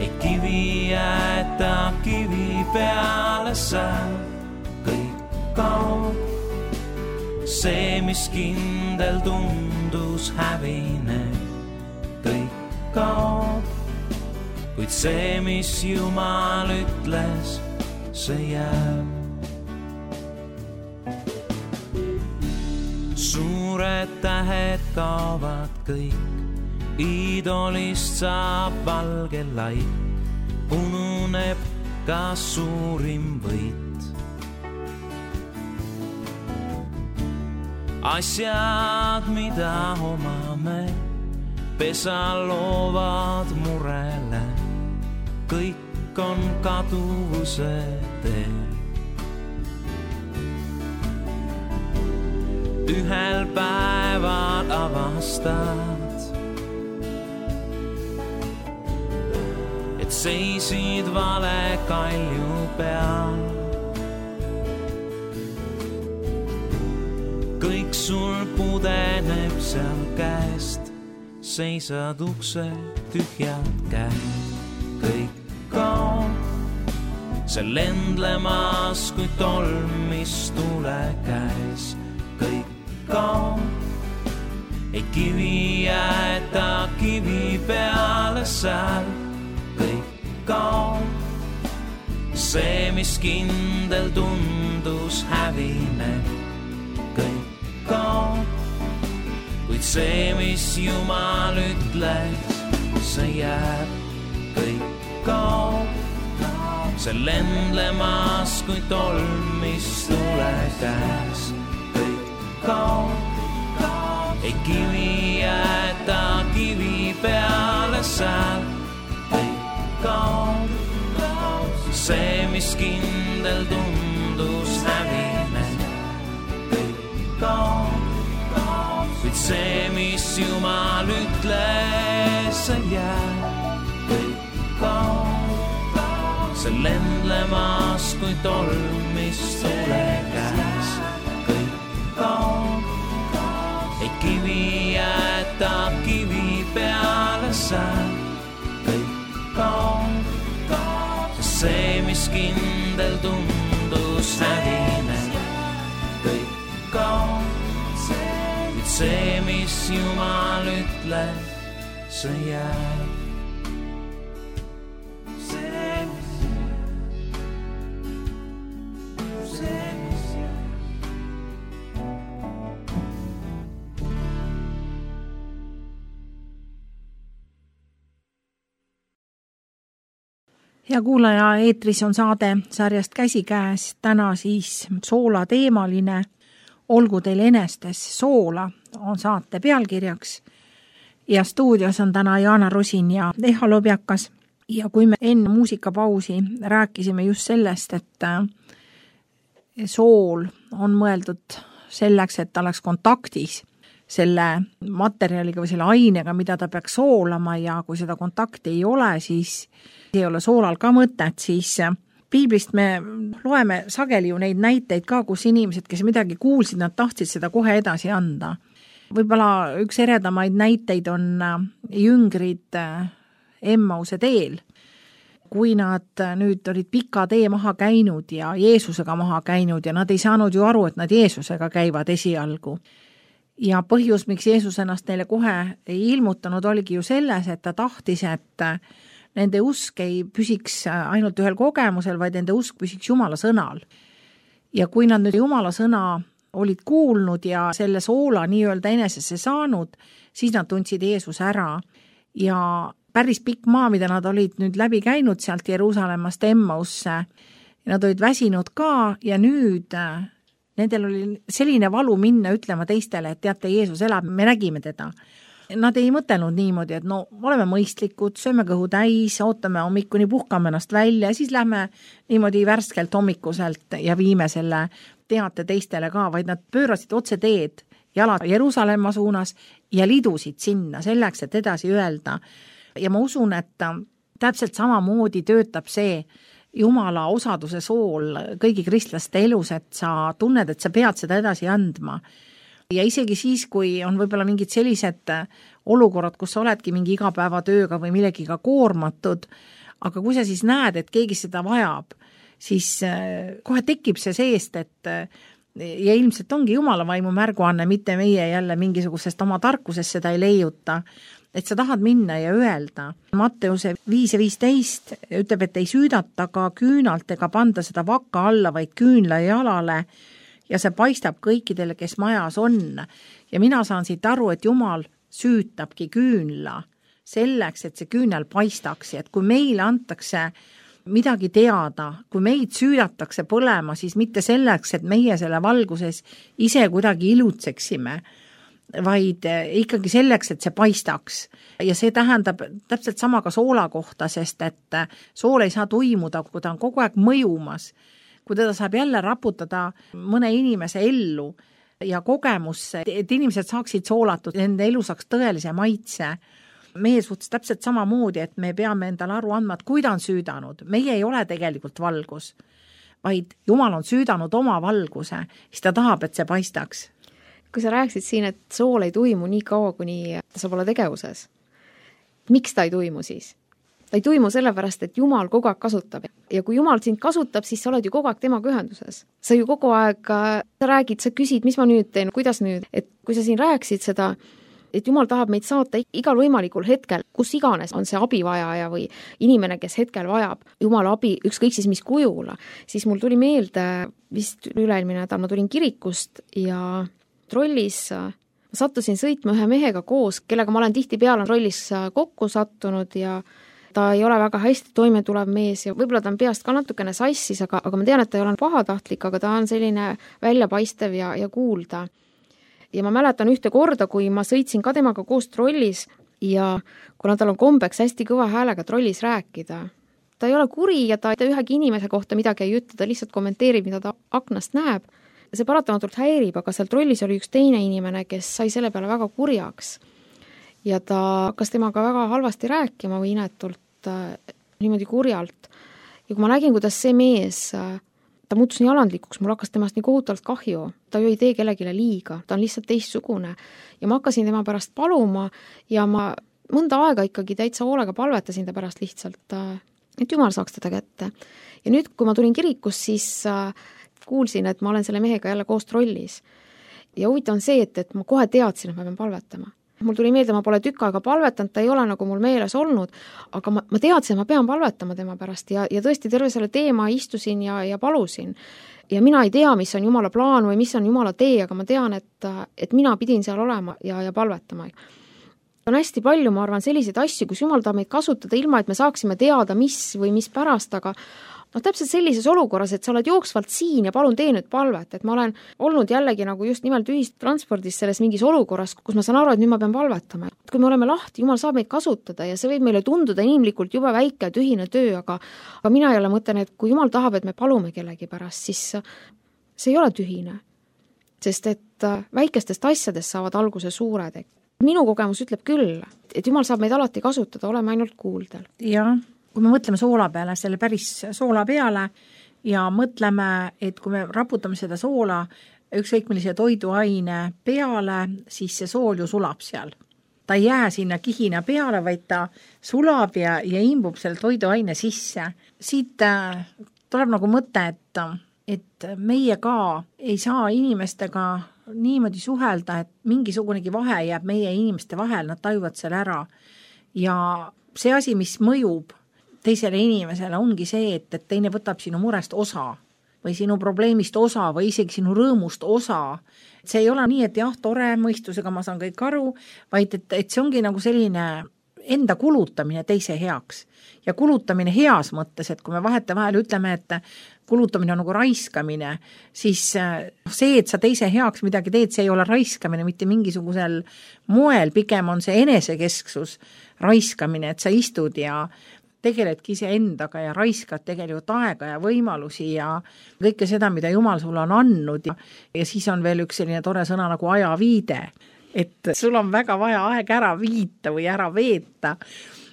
ei kivi jäeta kivi peale sääl. Kõik kaob, see, mis kindel tundus hävine. Kõik kaob, kuid see, mis Jumal ütles, see jääb. Suured tähed kaovad kõik, idolist saab valge laik, ununeb ka suurim võit. Asjad, mida omame, pesa loovad murele, kõik on kaduvuse teel. Ühel päeval avastad, seisid vale kalju peal. Kõik sul pudeneb seal käest, seisad ukse tühjad käed. Kõik kaob see lendlemas, kui tolm, mis tule käes. Kõik kaob, ei kivi jäeta kivi peale seal. Kõik kaob, see, mis kindel tundus hävineb. Kõik kaob, kuid see, mis Jumal ütles, see jääb. Kõik kaob, see lendlemas, kui tolm, mis tule käes. Kõik kaob, ei kivi jäeta kivi peale seal. Kõik kaob, see, mis kindel tundus hävine. Kõik kaob, kuid see, mis Jumal ütles, see jääb. Kõik kaob, see lendlemas, kui tolm, mis tule käes. Kõik kaob, ei kivi jäeta kivi peale seal. Kõik kaob, see, mis kindel tundus hävine. Kõik kaob, kuid see, mis Jumal ütles, see jääb. Ja kuulaja, eetris on saade sarjast Käsikäes, täna siis soola teemaline. Olgu teil enestes soola on saate pealkirjaks. Ja stuudios on täna Jaana Rusin ja Eha Lobjakas. Ja kui me enne muusikapausi rääkisime just sellest, et sool on mõeldud selleks, et ta oleks kontaktis selle materjaliga või selle ainega, mida ta peaks soolama, ja kui seda kontakti ei ole, siis ei ole soolal ka mõtet, siis piiblist me loeme sageli ju neid näiteid ka, kus inimesed, kes midagi kuulsid, nad tahtsid seda kohe edasi anda. Võib-olla üks eredamaid näiteid on jüngrid Emmause teel, kui nad nüüd olid pika tee maha käinud ja Jeesusega maha käinud ja nad ei saanud ju aru, et nad Jeesusega käivad esialgu. Ja põhjus, miks Jeesus ennast neile kohe ei ilmutanud, oligi ju selles, et ta tahtis, et nende usk ei püsiks ainult ühel kogemusel, vaid nende usk püsiks Jumala sõnal. Ja kui nad nüüd Jumala sõna olid kuulnud ja selle soola nii-öelda enesesse saanud, siis nad tundsid Jeesus ära. Ja päris pikk maa, mida nad olid nüüd läbi käinud sealt Jeruusalemmast Emmausse, nad olid väsinud ka ja nüüd nendel oli selline valu minna ütlema teistele, et teate, Jeesus elab, me nägime teda. Nad ei mõtelnud niimoodi, et no oleme mõistlikud, sööme kõhu täis, ootame hommikuni, puhkame ennast välja ja siis lähme niimoodi värskelt hommikuselt ja viime selle teate teistele ka, vaid nad pöörasid otse teed jalad Jeruusalemma suunas ja lidusid sinna selleks, et edasi öelda. Ja ma usun, et täpselt samamoodi töötab see Jumala osaduse sool kõigi kristlaste elus, et sa tunned, et sa pead seda edasi andma. Ja isegi siis, kui on võib-olla mingid sellised olukorrad, kus sa oledki mingi igapäevatööga või millegiga koormatud, aga kui sa siis näed, et keegi seda vajab, siis kohe tekib see seest, et ja ilmselt ongi Jumala vaimu märguanne, mitte meie jälle mingisugusest oma tarkusest seda ei leiuta, et sa tahad minna ja öelda. Matteuse viis ja viisteist ütleb, et ei süüdata ka küünalt ega panda seda vakka alla, vaid küünla jalale ja see paistab kõikidele, kes majas on. Ja mina saan siit aru, et Jumal süütabki küünla selleks, et see küünel paistaks, et kui meile antakse midagi teada, kui meid süüdatakse põlema, siis mitte selleks, et meie selle valguses ise kuidagi ilutseksime, vaid ikkagi selleks, et see paistaks. Ja see tähendab täpselt sama ka soola kohta, sest et sool ei saa tuimuda, kui ta on kogu aeg mõjumas, kui teda saab jälle raputada mõne inimese ellu ja kogemusse, et inimesed saaksid soolatud, nende elu saaks tõelise maitse. meie suhtes täpselt samamoodi, et me peame endale aru andma, et kui ta on süüdanud, meie ei ole tegelikult valgus, vaid Jumal on süüdanud oma valguse, siis ta tahab, et see paistaks. Kui sa rääkisid siin, et sool ei tuimu nii kaua, kuni ta saab olla tegevuses, miks ta ei tuimu siis? Ta ei tuimu sellepärast, et Jumal kogu aeg kasutab. Ja kui Jumal sind kasutab, siis sa oled ju kogu aeg temaga ühenduses. Sa ju kogu aeg, sa räägid, sa küsid, mis ma nüüd teen, kuidas nüüd. Et kui sa siin rääksid seda, et Jumal tahab meid saata igal võimalikul hetkel, kus iganes on see abivajaja või inimene, kes hetkel vajab Jumala abi, ükskõik siis mis kujula, siis mul tuli meelde vist üle-eelmine nädal, ma tulin kirikust ja trollis ma sattusin sõitma ühe mehega koos, kellega ma olen tihtipeale trollis kokku sattunud ja ta ei ole väga hästi toime tulev mees ja võib-olla ta on peast ka natukene sassis, aga, aga ma tean, et ta ei ole pahatahtlik, aga ta on selline väljapaistev ja, ja kuulda. Ja ma mäletan ühte korda, kui ma sõitsin ka temaga koos trollis ja kuna tal on kombeks hästi kõva häälega trollis rääkida, ta ei ole kuri ja ta ühegi inimese kohta midagi ei ütle, ta lihtsalt kommenteerib, mida ta aknast näeb. See paratamatult häirib, aga seal trollis oli üks teine inimene, kes sai selle peale väga kurjaks. Ja ta hakkas temaga väga halvasti rääkima või inetult, äh, niimoodi kurjalt. Ja kui ma nägin, kuidas see mees, äh, ta muutus nii alandlikuks, mul hakkas temast nii kohutavalt kahju. Ta ju ei tee kellegile liiga, ta on lihtsalt teistsugune. Ja ma hakkasin tema pärast paluma ja ma mõnda aega ikkagi täitsa hoolega palvetasin ta pärast lihtsalt, äh, et Jumal saaks teda kätte. Ja nüüd, kui ma tulin kirikus, siis äh, kuulsin, et ma olen selle mehega jälle koos trollis. Ja huvitav on see, et, et ma kohe teadsin, et ma pean palvetama. Mul tuli meelde, ma pole tükk aega palvetanud, ta ei ole nagu mul meeles olnud, aga ma, ma teadsin, et ma pean palvetama tema pärast ja, ja tõesti terve selle teema istusin ja, ja palusin. Ja mina ei tea, mis on Jumala plaan või mis on Jumala tee, aga ma tean, et, et mina pidin seal olema ja, ja palvetama. On hästi palju, ma arvan, selliseid asju, kus Jumal tahab meid kasutada ilma, et me saaksime teada, mis või mis pärast, aga noh, täpselt sellises olukorras, et sa oled jooksvalt siin ja palun tee nüüd palvet, et ma olen olnud jällegi nagu just nimelt ühistranspordis selles mingis olukorras, kus ma saan aru, et nüüd ma pean palvetama. Kui me oleme lahti, Jumal saab meid kasutada ja see võib meile tunduda inimlikult jube väike tühine töö, aga, aga mina jälle mõtlen, et kui Jumal tahab, et me palume kellegi pärast, siis see ei ole tühine. Sest et väikestest asjadest saavad alguse suured. Minu kogemus ütleb küll, et Jumal saab meid alati kasutada, oleme ainult kuuldel. Jah. Kui me mõtleme soola peale, selle päris soola peale ja mõtleme, et kui me raputame seda soola ükskõik millise toiduaine peale, siis see sool ju sulab seal. Ta ei jää sinna kihina peale, vaid ta sulab ja, ja imbub selle toiduaine sisse. Siit äh, tuleb nagu mõte, et, et meie ka ei saa inimestega niimoodi suhelda, et mingisugunegi vahe jääb meie inimeste vahel, nad tajuvad selle ära. Ja see asi, mis mõjub teisele inimesele ongi see, et, et teine võtab sinu murest osa või sinu probleemist osa või isegi sinu rõõmust osa. See ei ole nii, et jah, tore mõistusega ma saan kõik aru, vaid et, et see ongi nagu selline enda kulutamine teise heaks. Ja kulutamine heas mõttes, et kui me vahete vahel ütleme, et kulutamine on nagu raiskamine, siis see, et sa teise heaks midagi teed, see ei ole raiskamine mitte mingisugusel moel, pigem on see enesekesksus raiskamine, et sa istud ja tegeledki ise endaga ja raiskad tegelikult aega ja võimalusi ja kõike seda, mida Jumal sulle on andnud. Ja, ja siis on veel üks selline tore sõna nagu ajaviide, et sul on väga vaja aeg ära viita või ära veeta.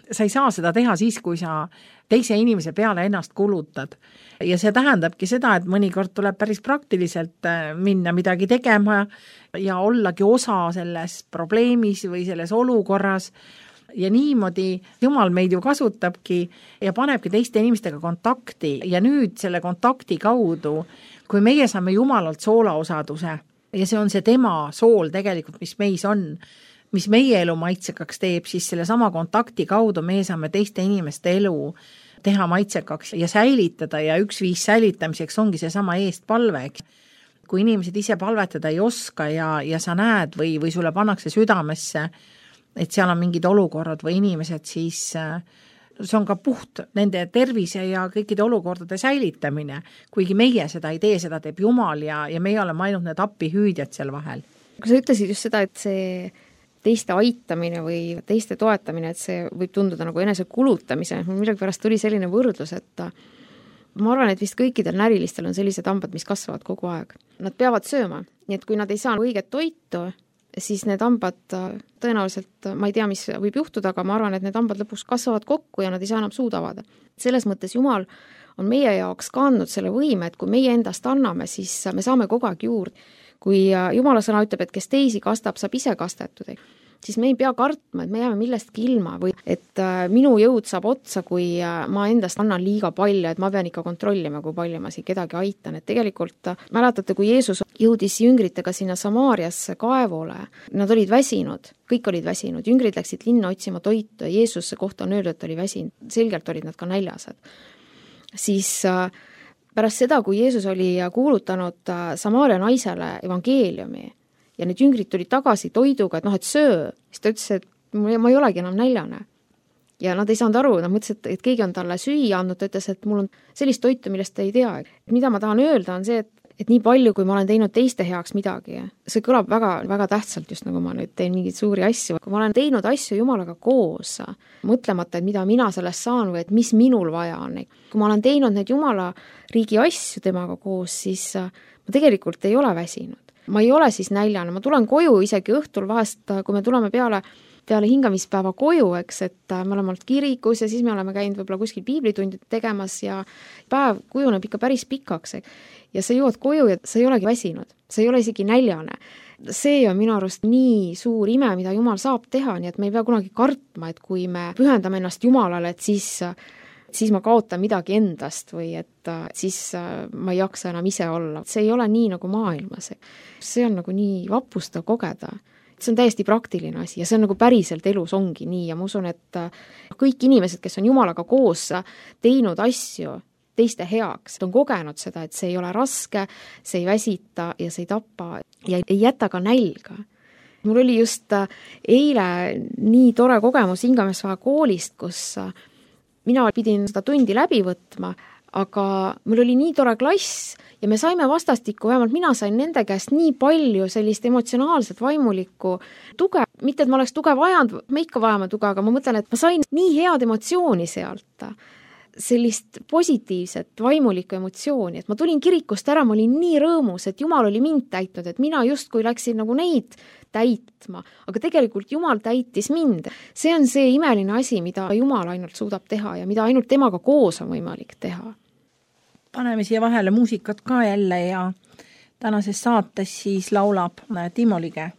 Sa ei saa seda teha siis, kui sa teise inimese peale ennast kulutad. Ja see tähendabki seda, et mõnikord tuleb päris praktiliselt minna midagi tegema ja ollagi osa selles probleemis või selles olukorras. Ja niimoodi Jumal meid ju kasutabki ja panebki teiste inimestega kontakti ja nüüd selle kontakti kaudu, kui meie saame Jumalalt soolaosaduse ja see on see tema sool tegelikult, mis meis on, mis meie elu maitsekaks teeb, siis selle sama kontakti kaudu me saame teiste inimeste elu teha maitsekaks ja säilitada ja üks viis säilitamiseks ongi see sama eestpalve. Kui inimesed ise palvetada ei oska ja, ja sa näed või, või sulle pannakse südamesse, et seal on mingid olukorrad või inimesed, siis see on ka puht nende tervise ja kõikide olukordade säilitamine. Kuigi meie seda ei tee, seda teeb Jumal ja, ja meie oleme ainult need appihüüdjad seal vahel. Kui sa ütlesid just seda, et see teiste aitamine või teiste toetamine, et see võib tunduda nagu enese kulutamise, millegi pärast tuli selline võrdlus, et ma arvan, et vist kõikidel närilistel on sellised hambad, mis kasvavad kogu aeg. Nad peavad sööma, nii et kui nad ei saa õiget toitu, siis need hambad tõenäoliselt, ma ei tea, mis võib juhtuda, aga ma arvan, et need hambad lõpuks kasvavad kokku ja nad ei saa enam suud avada. Selles mõttes Jumal on meie jaoks ka andnud selle võime, et kui meie endast anname, siis me saame kogu aeg juurde. Kui Jumala sõna ütleb, et kes teisi kastab, saab ise kastetud, siis me ei pea kartma, et me jääme millestki ilma või et minu jõud saab otsa, kui ma endast annan liiga palju, et ma pean ikka kontrollima, kui palju ma siin kedagi aitan. Et tegelikult mäletate, kui Jeesus jõudis jüngritega sinna Samaariasse kaevole, nad olid väsinud, kõik olid väsinud, jüngrid läksid linna otsima toitu ja Jeesuse kohta on öeldud, et oli väsinud, selgelt olid nad ka näljased. Siis pärast seda, kui Jeesus oli kuulutanud Samaaria naisele evangeeliumi ja need jüngrid tulid tagasi toiduga, et noh, et söö, siis ta ütles, et ma ei olegi enam näljane. Ja nad ei saanud aru, nad mõtlesid, et keegi on talle süüa andnud, ta ütles, et mul on sellist toitu, millest ta ei tea. Mida ma tahan öelda, on see, et, et nii palju, kui ma olen teinud teiste heaks midagi, see kõlab väga, väga tähtsalt, just nagu ma nüüd teen mingeid suuri asju. Kui ma olen teinud asju Jumalaga koos, mõtlemata, et mida mina sellest saan või et mis minul vaja on. Kui ma olen teinud need Jumala riigi asju temaga koos, siis ma tegelikult ei ole väsinud. Ma ei ole siis näljane, ma tulen koju isegi õhtul vahest, kui me tuleme peale, peale hingamispäeva koju, eks, et me oleme olnud kirikus ja siis me oleme käinud võib-olla kuskil piiblitundid tegemas ja päev kujuneb ikka päris pikaks. Ja sa jõuad koju ja sa ei olegi väsinud, sa ei ole isegi näljane. See on minu arust nii suur ime, mida Jumal saab teha, nii et me ei pea kunagi kartma, et kui me pühendame ennast Jumalale, et siis siis ma kaotan midagi endast või et siis ma ei jaksa enam ise olla. See ei ole nii nagu maailmas. See on nagu nii vapustav kogeda. See on täiesti praktiline asi ja see on nagu päriselt elus ongi nii ja ma usun, et kõik inimesed, kes on Jumalaga koos teinud asju teiste heaks, on kogenud seda, et see ei ole raske, see ei väsita ja see ei tapa ja ei jäta ka nälga. Mul oli just eile nii tore kogemus Ingamesvaja koolist, kus mina pidin seda tundi läbi võtma, aga mul oli nii tore klass ja me saime vastastikku, vähemalt mina sain nende käest nii palju sellist emotsionaalset vaimulikku tuge. Mitte, et ma oleks tuge vajanud, me ikka vajame tuge, aga ma mõtlen, et ma sain nii head emotsiooni sealt, sellist positiivset vaimulikku emotsiooni, et ma tulin kirikust ära, ma olin nii rõõmus, et Jumal oli mind täitnud, et mina justkui läksin nagu neid täitma, aga tegelikult Jumal täitis mind. See on see imeline asi, mida Jumal ainult suudab teha ja mida ainult temaga koos on võimalik teha. Paneme siia vahele muusikat ka jälle ja tänases saates siis laulab Timo Lige.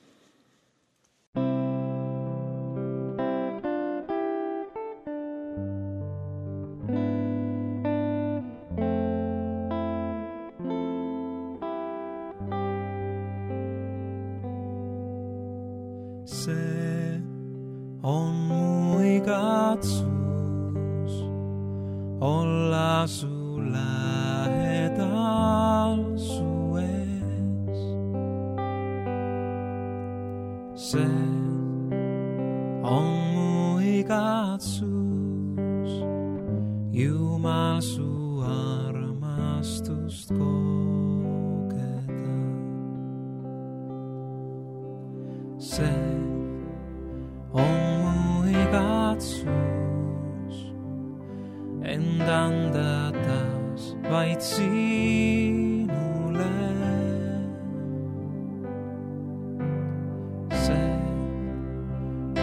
See on mu igatsus olla su lähedal su ees. See on mu igatsus Jumal su armastust kogeda. See on mu igatsus end anda taas vaid sinule. See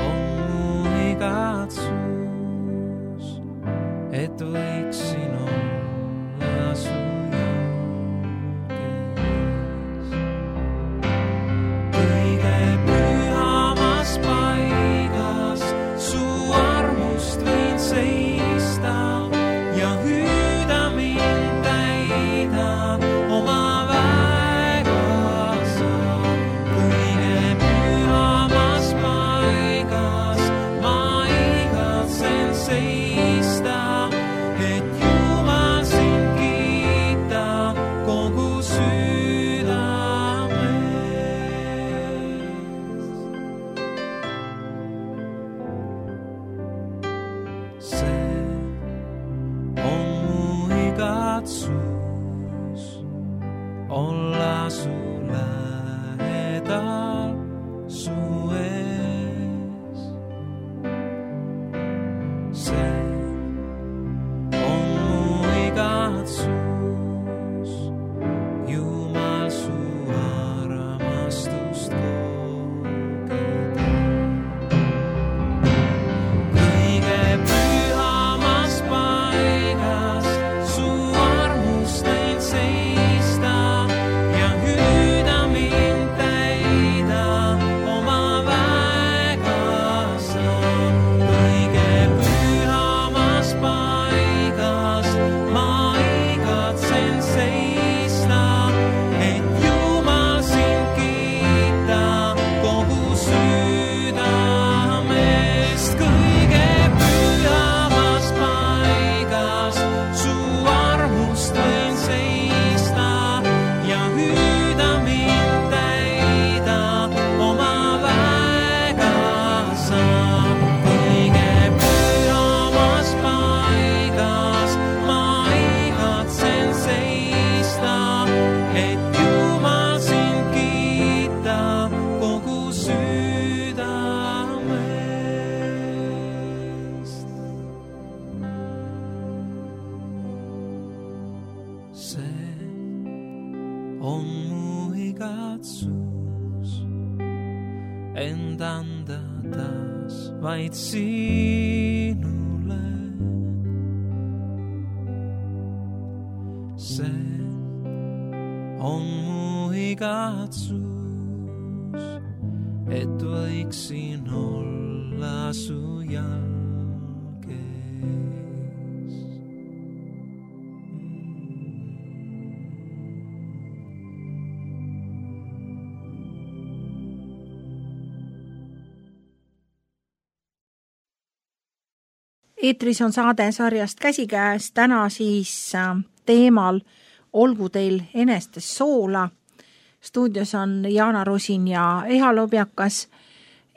on mu igatsus, et võiksin olla su jalgees. Kõige pühamas paigas su armust võin seista ja hüüda mind täida oma väega sa. Kõige pühamas paigas ma igatsen seista, et Jumal sind kiita kogu südamest. See on mu igatsus olla su lähedal su ees. See on mu igatsus Jumal su armastust kogeda. on mu igatsus end anda taas vaid sinule. See on mu igatsus, et võiksin olla su jalges. Eetris on saade sarjast Käsikäes, täna siis teemal Olgu teil enestes soola. Stuudios on Jaana Rusin ja Eha Lobjakas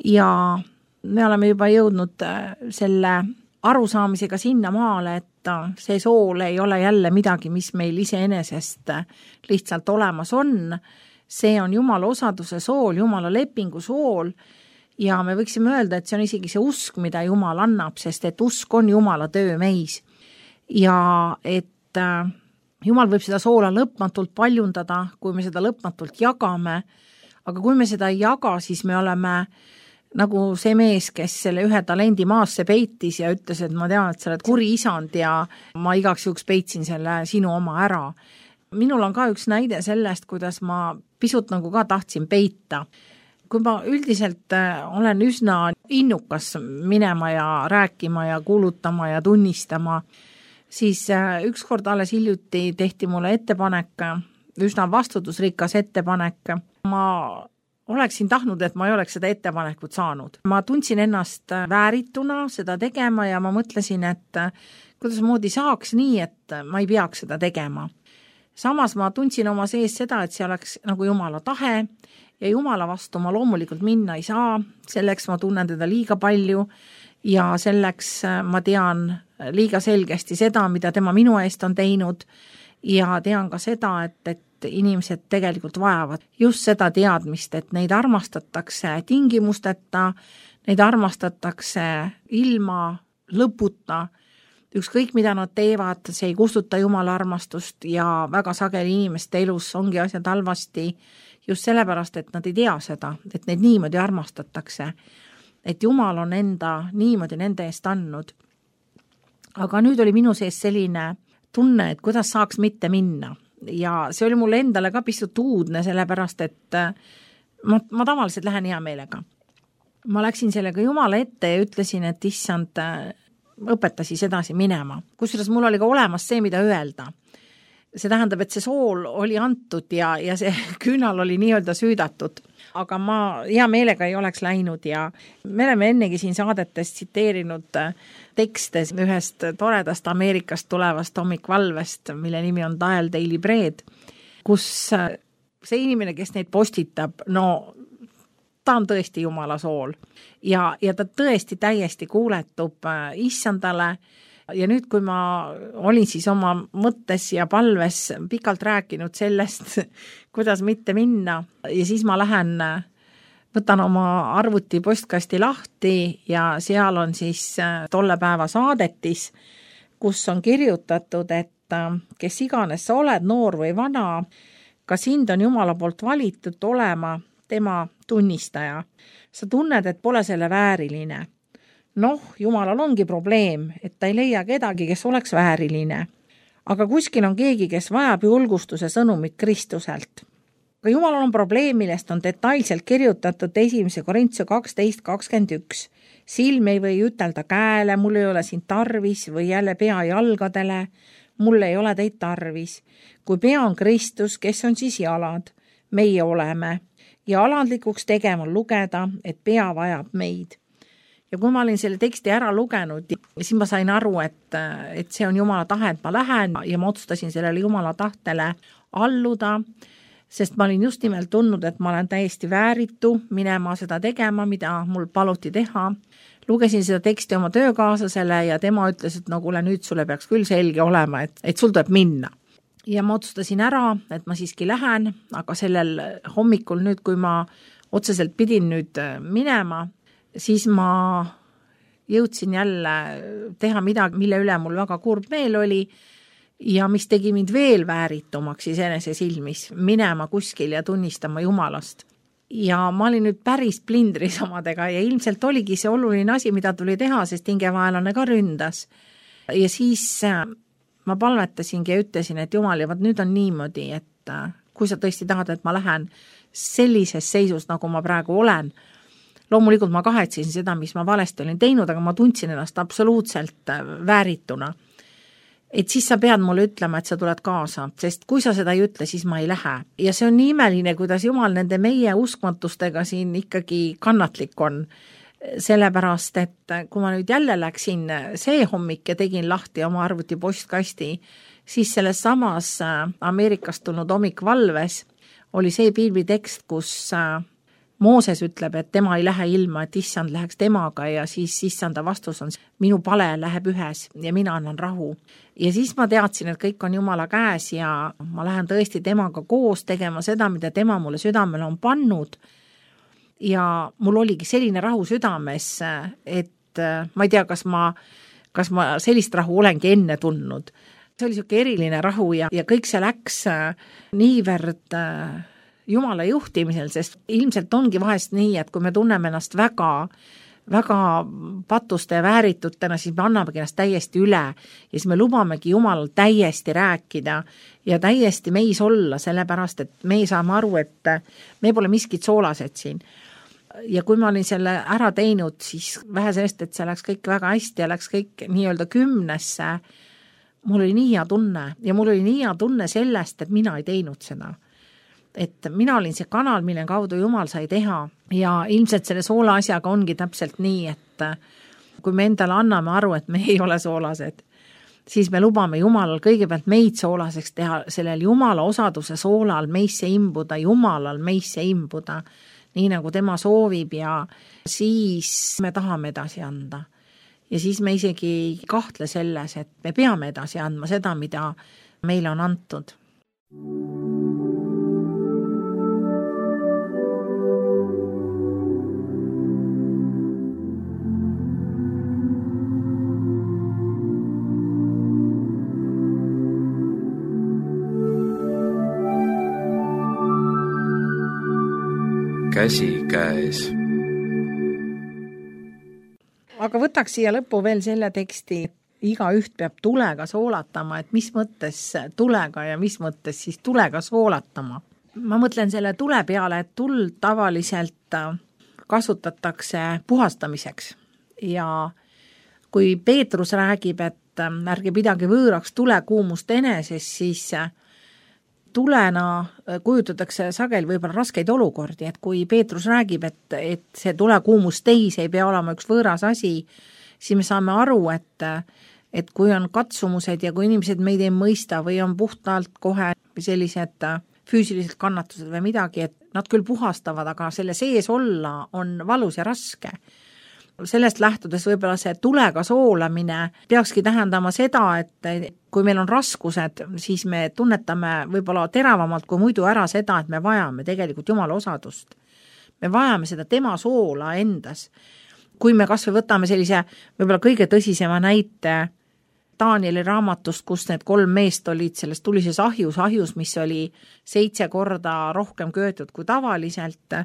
ja me oleme juba jõudnud selle arusaamisega sinna maale, et see sool ei ole jälle midagi, mis meil iseenesest lihtsalt olemas on. See on Jumala osaduse sool, Jumala lepingu sool ja me võiksime öelda, et see on isegi see usk, mida Jumal annab, sest et usk on Jumala töö meis. Ja et Jumal võib seda soola lõpmatult paljundada, kui me seda lõpmatult jagame, aga kui me seda ei jaga, siis me oleme nagu see mees, kes selle ühe talendi maasse peitis ja ütles, et ma tean, et sa oled kuri isand ja ma igaks juhuks peitsin selle sinu oma ära. Minul on ka üks näide sellest, kuidas ma pisut nagu ka tahtsin peita. Kui ma üldiselt olen üsna innukas minema ja rääkima ja kuulutama ja tunnistama, siis ükskord alles hiljuti tehti mulle ettepanek, üsna vastutusrikas ettepanek. Ma oleksin tahtnud, et ma ei oleks seda ettepanekut saanud. Ma tundsin ennast väärituna seda tegema ja ma mõtlesin, et kuidas moodi saaks nii, et ma ei peaks seda tegema. Samas ma tundsin oma sees seda, et see oleks nagu Jumala tahe ja Jumala vastu ma loomulikult minna ei saa, selleks ma tunnen teda liiga palju ja selleks ma tean liiga selgesti seda, mida tema minu eest on teinud ja tean ka seda, et, et inimesed tegelikult vajavad just seda teadmist, et neid armastatakse tingimusteta, neid armastatakse ilma lõputa, ükskõik mida nad teevad, see ei kustuta Jumala armastust ja väga sageli inimeste elus ongi asjad halvasti just sellepärast, et nad ei tea seda, et neid niimoodi armastatakse, et Jumal on enda niimoodi nende eest andnud. Aga nüüd oli minu sees selline tunne, et kuidas saaks mitte minna. Ja see oli mulle endale ka pisut uudne, sellepärast, et ma, ma tavaliselt lähen hea meelega. Ma läksin sellega Jumala ette ja ütlesin, et issand õpetasi sedasi minema. Kusjuures mul oli ka olemas see, mida öelda. See tähendab, et see sool oli antud ja, ja see küünal oli nii-öelda süüdatud. Aga ma hea meelega ei oleks läinud ja me oleme ennegi siin saadetest tsiteerinud tekste ühest toredast Ameerikast tulevast hommikvalvest, mille nimi on Dial Daily Bread, kus see inimene, kes neid postitab, no ta on tõesti Jumala sool ja, ja ta tõesti täiesti kuuletub issandale. Ja nüüd, kui ma olin siis oma mõttes ja palves pikalt rääkinud sellest, kuidas mitte minna ja siis ma lähen, võtan oma arvuti postkasti lahti ja seal on siis tolle päeva saadetis, kus on kirjutatud, et kes iganes sa oled, noor või vana, ka sind on Jumala poolt valitud olema tema tunnistaja. Sa tunned, et pole selle vääriline. Noh, Jumalal ongi probleem, et ta ei leia kedagi, kes oleks vääriline. Aga kuskil on keegi, kes vajab julgustuse sõnumit Kristuselt. Aga Jumalal on probleem, millest on detailselt kirjutatud esimese Korintuse kaksteist kakskümmend üks. Silm ei või ütelda käele, mul ei ole siin tarvis või jälle pea jalgadele, mul ei ole teid tarvis. Kui pea on Kristus, kes on siis jalad? Meie oleme. Ja alandlikuks tegema lugeda, et pea vajab meid. Ja kui ma olin selle teksti ära lugenud, siis ma sain aru, et, et see on Jumala tahe, et ma lähen ja ma otsustasin sellele Jumala tahtele alluda, sest ma olin just nimelt tundnud, et ma olen täiesti vääritu minema seda tegema, mida mul paluti teha. Lugesin seda teksti oma töökaaslasele ja tema ütles, et no kuule, nüüd sulle peaks küll selge olema, et, et sul tuleb minna. Ja ma otsustasin ära, et ma siiski lähen, aga sellel hommikul nüüd, kui ma otseselt pidin nüüd minema, siis ma jõudsin jälle teha midagi, mille üle mul väga kurb meel oli ja mis tegi mind veel vääritumaks iseenese silmis, minema kuskil ja tunnistama Jumalast. Ja ma olin nüüd päris plindris omadega ja ilmselt oligi see oluline asi, mida tuli teha, sest hingevaelane ka ründas. Ja siis ma palvetasingi ja ütlesin, et Jumal, ja vaat nüüd on niimoodi, et kui sa tõesti tahad, et ma lähen sellises seisus, nagu ma praegu olen, loomulikult ma kahetsin seda, mis ma valesti olin teinud, aga ma tundsin ennast absoluutselt väärituna. Et siis sa pead mulle ütlema, et sa tuled kaasa, sest kui sa seda ei ütle, siis ma ei lähe. Ja see on nii imeline, kuidas Jumal nende meie uskmatustega siin ikkagi kannatlik on. Sellepärast, et kui ma nüüd jälle läksin see hommik ja tegin lahti oma arvuti postkasti, siis selles samas Ameerikast tulnud hommikvalves oli see piiblitekst, kus Mooses ütleb, et tema ei lähe ilma, et issand läheks temaga ja siis issanda vastus on, minu pale läheb ühes ja mina annan rahu. Ja siis ma teadsin, et kõik on Jumala käes ja ma lähen tõesti temaga koos tegema seda, mida tema mulle südamele on pannud. Ja mul oligi selline rahu südames, et ma ei tea, kas ma, kas ma sellist rahu olengi enne tundnud. See oli selline eriline rahu ja, ja kõik see läks niivõrd Jumala juhtimisel, sest ilmselt ongi vahest nii, et kui me tunneme ennast väga, väga patuste ja vääritutena, siis me annamegi ennast täiesti üle ja siis me lubamegi Jumalal täiesti rääkida ja täiesti meis olla, sellepärast, et me saame aru, et me pole miskit soolased siin. Ja kui ma olin selle ära teinud, siis vähe sellest, et see läks kõik väga hästi ja läks kõik nii-öelda kümnesse, mul oli nii hea tunne ja mul oli nii hea tunne sellest, et mina ei teinud seda. Et mina olin see kanal, mille kaudu Jumal sai teha ja ilmselt selle soola asjaga ongi täpselt nii, et kui me endale anname aru, et me ei ole soolased, siis me lubame Jumalal kõigepealt meid soolaseks teha, sellel Jumala osaduse soolal meisse imbuda, Jumalal meisse imbuda, nii nagu tema soovib ja siis me tahame edasi anda. Ja siis me isegi ei kahtle selles, et me peame edasi andma seda, mida meile on antud. Käsi käes. Aga võtaks siia lõppu veel selle teksti, iga üht peab tulega soolatama, et mis mõttes tulega ja mis mõttes siis tulega soolatama. Ma mõtlen selle tule peale, et tuld tavaliselt kasutatakse puhastamiseks ja kui Peetrus räägib, et ärge pidage võõraks tulekuumust eneses, siis tulena kujutatakse sageli võib-olla raskeid olukordi, et kui Peetrus räägib, et, et see tulekuumus teis ei pea olema üks võõras asi, siis me saame aru, et, et kui on katsumused ja kui inimesed meid ei mõista või on puhtalt kohe sellised füüsilised kannatused või midagi, et nad küll puhastavad, aga selle sees olla on valus ja raske. Sellest lähtudes võib-olla see tulega soolamine peakski tähendama seda, et kui meil on raskused, siis me tunnetame võib-olla teravamalt kui muidu ära seda, et me vajame tegelikult Jumala osadust. Me vajame seda tema soola endas. Kui me kas või võtame sellise võib-olla kõige tõsisema näite Danieli raamatust, kus need kolm meest olid selles tulises ahjus, ahjus, mis oli seitse korda rohkem köötud kui tavaliselt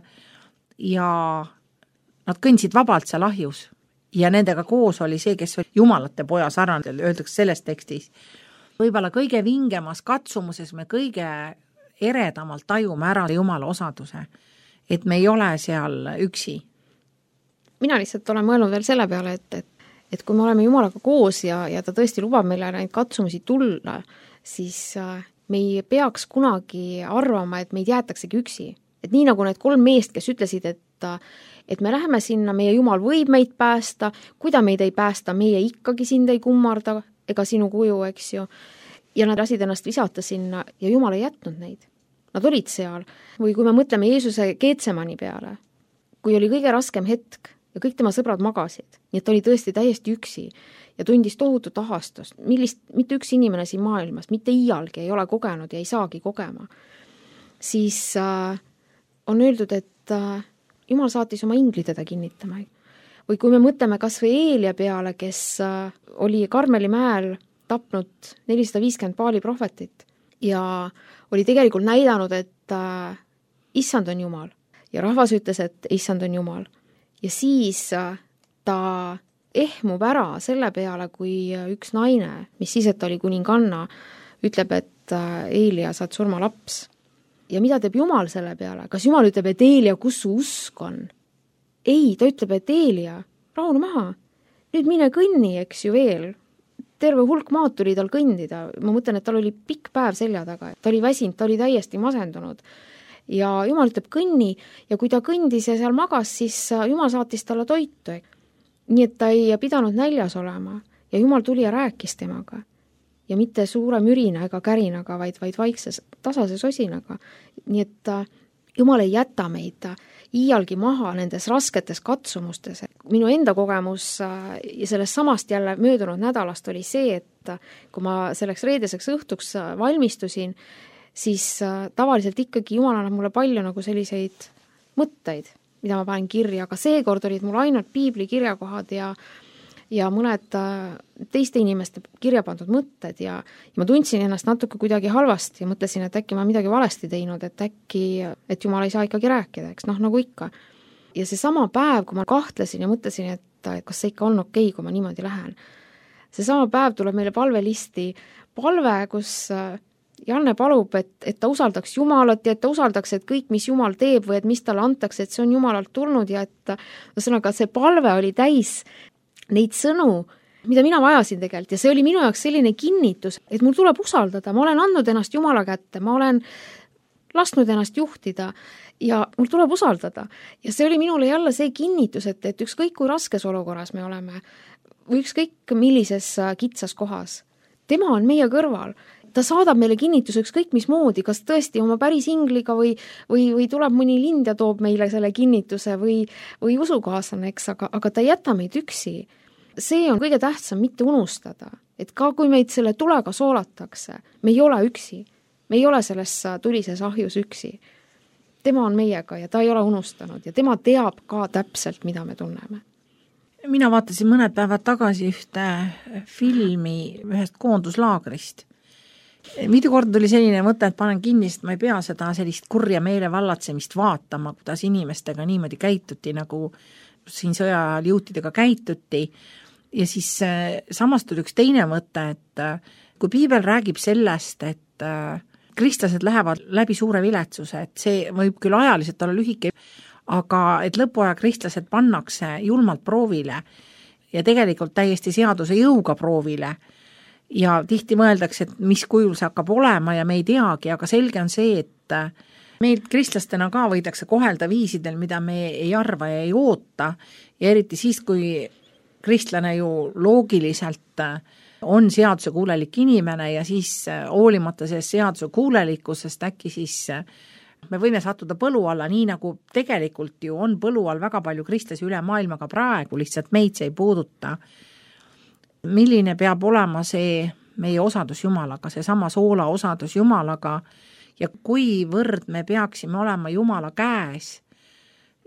ja nad kõndsid vabalt seal ahjus ja nendega koos oli see, kes oli jumalate poja sarnane, öeldakse selles tekstis. Võib-olla kõige vingemas katsumuses me kõige eredamalt tajume ära Jumala osaduse, et me ei ole seal üksi. Mina lihtsalt olen mõelnud veel selle peale, et, et, et kui me oleme Jumalaga koos ja, ja ta tõesti lubab meile neid katsumusi tulla, siis me ei peaks kunagi arvama, et meid jäetaksegi üksi. Et nii nagu need kolm meest, kes ütlesid, et et me läheme sinna, meie Jumal võib meid päästa, kui ta meid ei päästa, meie ikkagi sind ei kummarda ega sinu kuju, eks ju. Ja nad lasid ennast visata sinna ja Jumal ei jätnud neid. Nad olid seal. Või kui me mõtleme Jeesuse Getsemani peale, kui oli kõige raskem hetk ja kõik tema sõbrad magasid, nii et ta oli tõesti täiesti üksi ja tundis tohutut ahastust, millist mitte üks inimene siin maailmas, mitte iialgi ei ole kogenud ja ei saagi kogema, siis äh, on öeldud, et äh, Jumal saatis oma ingli teda kinnitama. Või kui me mõtleme kas või Eelia peale, kes oli Karmeli mäel tapnud nelisada viiskümmend Baali prohvetit ja oli tegelikult näidanud, et äh, issand on Jumal ja rahvas ütles, et issand on Jumal. Ja siis äh, ta ehmub ära selle peale, kui üks naine, mis siis, et oli kuninganna, ütleb, et äh, Eelia, saad surma laps. Ja mida teeb Jumal selle peale? Kas Jumal ütleb, et Eelia, kus su usk on? Ei, ta ütleb, et Eelia, rahune maha. Nüüd mine kõnni, eks ju veel. Terve hulk maad tuli tal kõndida. Ma mõtlen, et tal oli pikk päev selja taga. Ta oli väsinud, ta oli täiesti masendunud. Ja Jumal ütleb kõnni ja kui ta kõndis ja seal magas, siis Jumal saatis talle toitu. Nii et ta ei pidanud näljas olema ja Jumal tuli ja rääkis temaga. Ja mitte suure mürina ega kärinaga, vaid, vaid vaikses tasase sosinaga. Nii et Jumal ei jäta meid iialgi maha nendes rasketes katsumustes. Minu enda kogemus ja sellest samast jälle möödunud nädalast oli see, et kui ma selleks reedeseks õhtuks valmistusin, siis tavaliselt ikkagi Jumal annab mulle palju nagu selliseid mõtteid, mida ma panen kirja, aga seekord olid mul ainult piibli kirjakohad ja ja mõned teiste inimeste kirja pandud mõtted ja, ja ma tundsin ennast natuke kuidagi halvasti ja mõtlesin, et äkki ma midagi valesti teinud, et äkki, et Jumal ei saa ikkagi rääkida, eks noh, nagu ikka. Ja see sama päev, kui ma kahtlesin ja mõtlesin, et kas see ikka on okei, kui ma niimoodi lähen. See sama päev tuleb meile palvelisti palve, kus Janne palub, et, et ta usaldaks Jumalat ja et ta usaldaks, et kõik, mis Jumal teeb või et mis talle antakse, et see on Jumalalt tulnud ja et ühesõnaga see palve oli täis neid sõnu, mida mina vajasin tegelikult ja see oli minu jaoks selline kinnitus, et mul tuleb usaldada, ma olen andnud ennast Jumala kätte, ma olen lasknud ennast juhtida ja mul tuleb usaldada. Ja see oli minule jälle see kinnitus, et, et ükskõik kui raskes olukorras me oleme või ükskõik millises kitsas kohas, tema on meie kõrval. Ta saadab meile kinnituse ükskõik mis moodi, kas tõesti oma päris ingliga või, või, või tuleb mõni lind ja toob meile selle kinnituse või, või usukaaslane, eks, aga, aga ta ei jäta meid üksi. See on kõige tähtsam mitte unustada, et ka kui meid selle tulega soolatakse, me ei ole üksi, me ei ole selles tulises ahjus üksi. Tema on meiega ja ta ei ole unustanud ja tema teab ka täpselt, mida me tunneme. Mina vaatasin mõned päevad tagasi ühte filmi ühest koonduslaagrist. Mitu korda tuli selline mõte, et panen kinni, sest ma ei pea seda sellist kurja meelevallatsemist vaatama, kuidas inimestega niimoodi käituti, nagu siin sõja ajal juutidega käituti. Ja siis samas tuli üks teine mõte, et kui piibel räägib sellest, et kristlased lähevad läbi suure viletsuse, et see võib küll ajaliselt olla lühike, aga et lõpuaja kristlased pannakse julmalt proovile ja tegelikult täiesti seaduse jõuga proovile. Ja tihti mõeldakse, et mis kujul see hakkab olema ja me ei teagi, aga selge on see, et meil kristlastena ka võidakse kohelda viisidel, mida me ei arva ja ei oota. Ja eriti siis, kui kristlane ju loogiliselt on seaduse kuulelik inimene ja siis hoolimata sellest seaduse kuulelikkusest äkki siis me võime sattuda põlu alla, nii nagu tegelikult ju on põlu all väga palju kristlasi üle maailmaga praegu, lihtsalt meid see ei puuduta. Milline peab olema see meie osadus Jumalaga, see sama soola osadus Jumalaga ja kuivõrd me peaksime olema Jumala käes,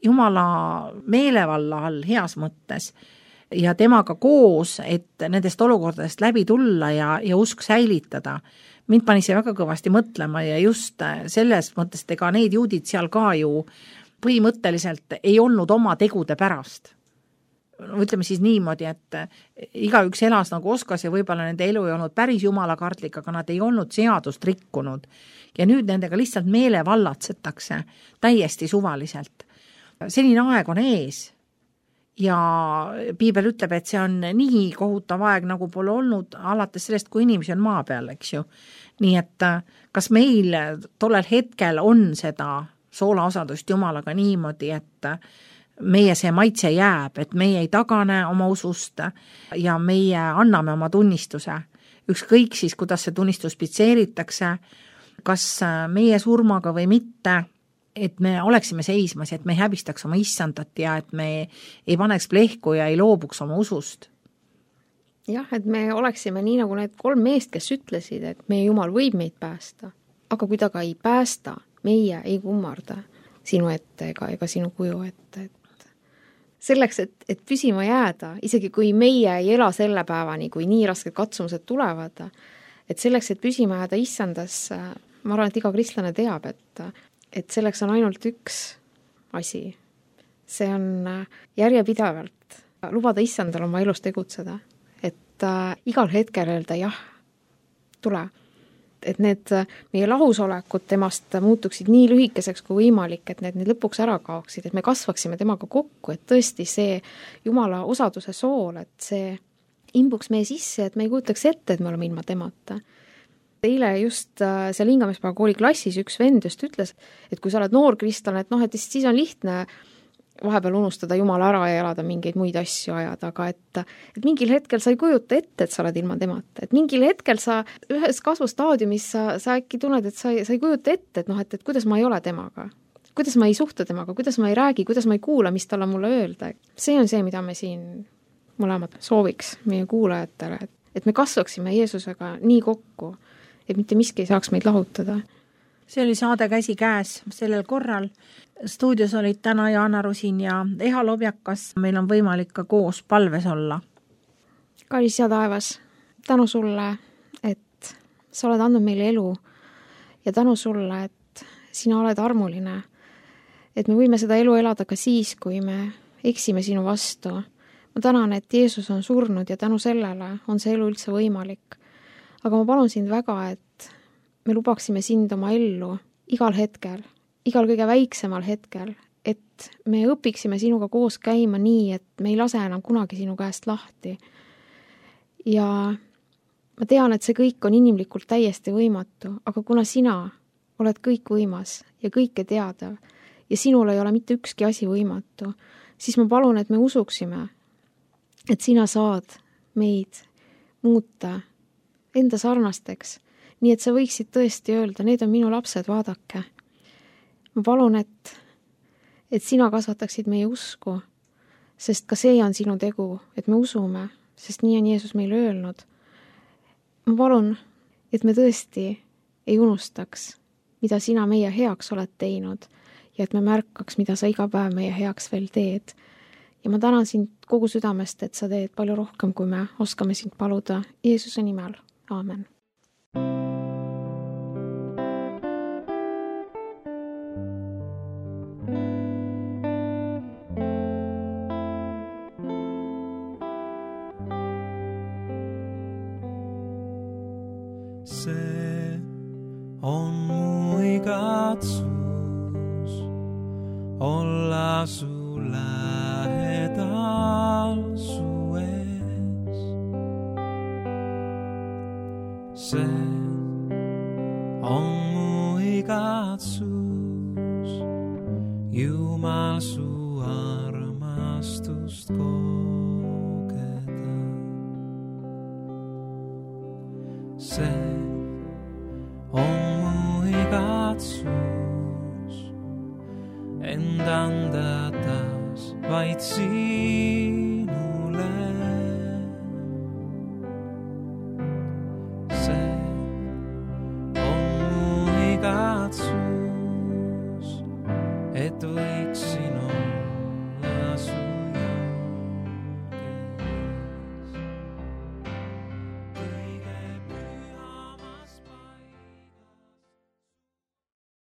Jumala meelevalla all heas mõttes ja temaga koos, et nendest olukordadest läbi tulla ja, ja usk säilitada. Mind pani see väga kõvasti mõtlema ja just selles mõttes, et ega need juudid seal ka ju põhimõtteliselt ei olnud oma tegude pärast. Ütleme siis niimoodi, et igaüks elas nagu oskas ja võib-olla nende elu ei olnud päris jumalakartlik, aga nad ei olnud seadust rikkunud. Ja nüüd nendega lihtsalt meele vallatsetakse täiesti suvaliselt. Selline aeg on ees ja piibel ütleb, et see on nii kohutav aeg, nagu pole olnud alates sellest, kui inimesi on maa peal, eks ju. Nii et kas meil tollel hetkel on seda soolaosadust Jumalaga niimoodi, et meie see maitse jääb, et meie ei tagane oma usust ja meie anname oma tunnistuse. Ükskõik siis, kuidas see tunnistus pitseeritakse, kas meie surmaga või mitte, et me oleksime seismas, et me ei häbistaks oma issandat ja et me ei paneks plehku ja ei loobuks oma usust. Jah, et me oleksime nii nagu need kolm meest, kes ütlesid, et meie Jumal võib meid päästa, aga kui ta ka ei päästa, meie ei kummarda sinu ette ega, ega sinu kuju ette, et selleks, et, et püsima jääda, isegi kui meie ei ela selle päevani, kui nii rasked katsumused tulevad, et selleks, et püsima jääda issandas, ma arvan, et iga kristlane teab, et, et selleks on ainult üks asi. See on järjepidevalt lubada issandal oma elus tegutseda, et äh, igal hetkel öelda jah, tule. Et need meie lahusolekud temast muutuksid nii lühikeseks kui võimalik, et need, need lõpuks ära kaoksid, et me kasvaksime temaga kokku, et tõesti see Jumala osaduse sool, et see imbuks meie sisse, et me ei kujutaks ette, et me oleme ilma temata. Eile just seal Hingamispäeva kooli klassis üks vend just ütles, et kui sa oled noor kristlane, et noh, et siis on lihtne vahepeal unustada Jumala ära ja elada mingeid muid asju ajada, aga et, et mingil hetkel sa ei kujuta ette, et sa oled ilma temata. Et mingil hetkel sa ühes kasvustaadiumis sa, sa äkki tunned, et sa ei, sa ei kujuta ette, et noh, et, et kuidas ma ei ole temaga. Kuidas ma ei suhtu temaga, kuidas ma ei räägi, kuidas ma ei kuula, mis tal on mulle öelda. See on see, mida me siin mõlemad sooviks meie kuulajatele, et, et me kasvaksime Jeesusega nii kokku, et mitte miski ei saaks meid lahutada. See oli saade Käsi käes sellel korral. Stuudios olid täna Jaana Rusin ja Eha Lobjakas. Meil on võimalik ka koos palves olla. Kallis ja taevas, tänu sulle, et sa oled andnud meile elu ja tänu sulle, et sina oled armuline, et me võime seda elu elada ka siis, kui me eksime sinu vastu. Ma tänan, et Jeesus on surnud ja tänu sellele on see elu üldse võimalik. Aga ma palun sind väga, et me lubaksime sind oma ellu igal hetkel, igal kõige väiksemal hetkel, et me õpiksime sinuga koos käima nii, et me ei lase enam kunagi sinu käest lahti. Ja ma tean, et see kõik on inimlikult täiesti võimatu, aga kuna sina oled kõik võimas ja kõike teadav ja sinul ei ole mitte ükski asi võimatu, siis ma palun, et me usuksime, et sina saad meid muuta enda sarnasteks, nii et sa võiksid tõesti öelda, need on minu lapsed, vaadake. Ma palun, et, et sina kasvataksid meie usku, sest ka see on sinu tegu, et me usume, sest nii on Jeesus meile öelnud. Ma palun, et me tõesti ei unustaks, mida sina meie heaks oled teinud ja et me märkaks, mida sa iga päev meie heaks veel teed. Ja ma tänan sind kogu südamest, et sa teed palju rohkem, kui me oskame sind paluda. Jeesuse nimel. Aamen. See on mu igatsus olla su lähedal su ees. See on mu igatsus Jumal su armastust kogeda. See on mu igatsus end anda taas vaid siin.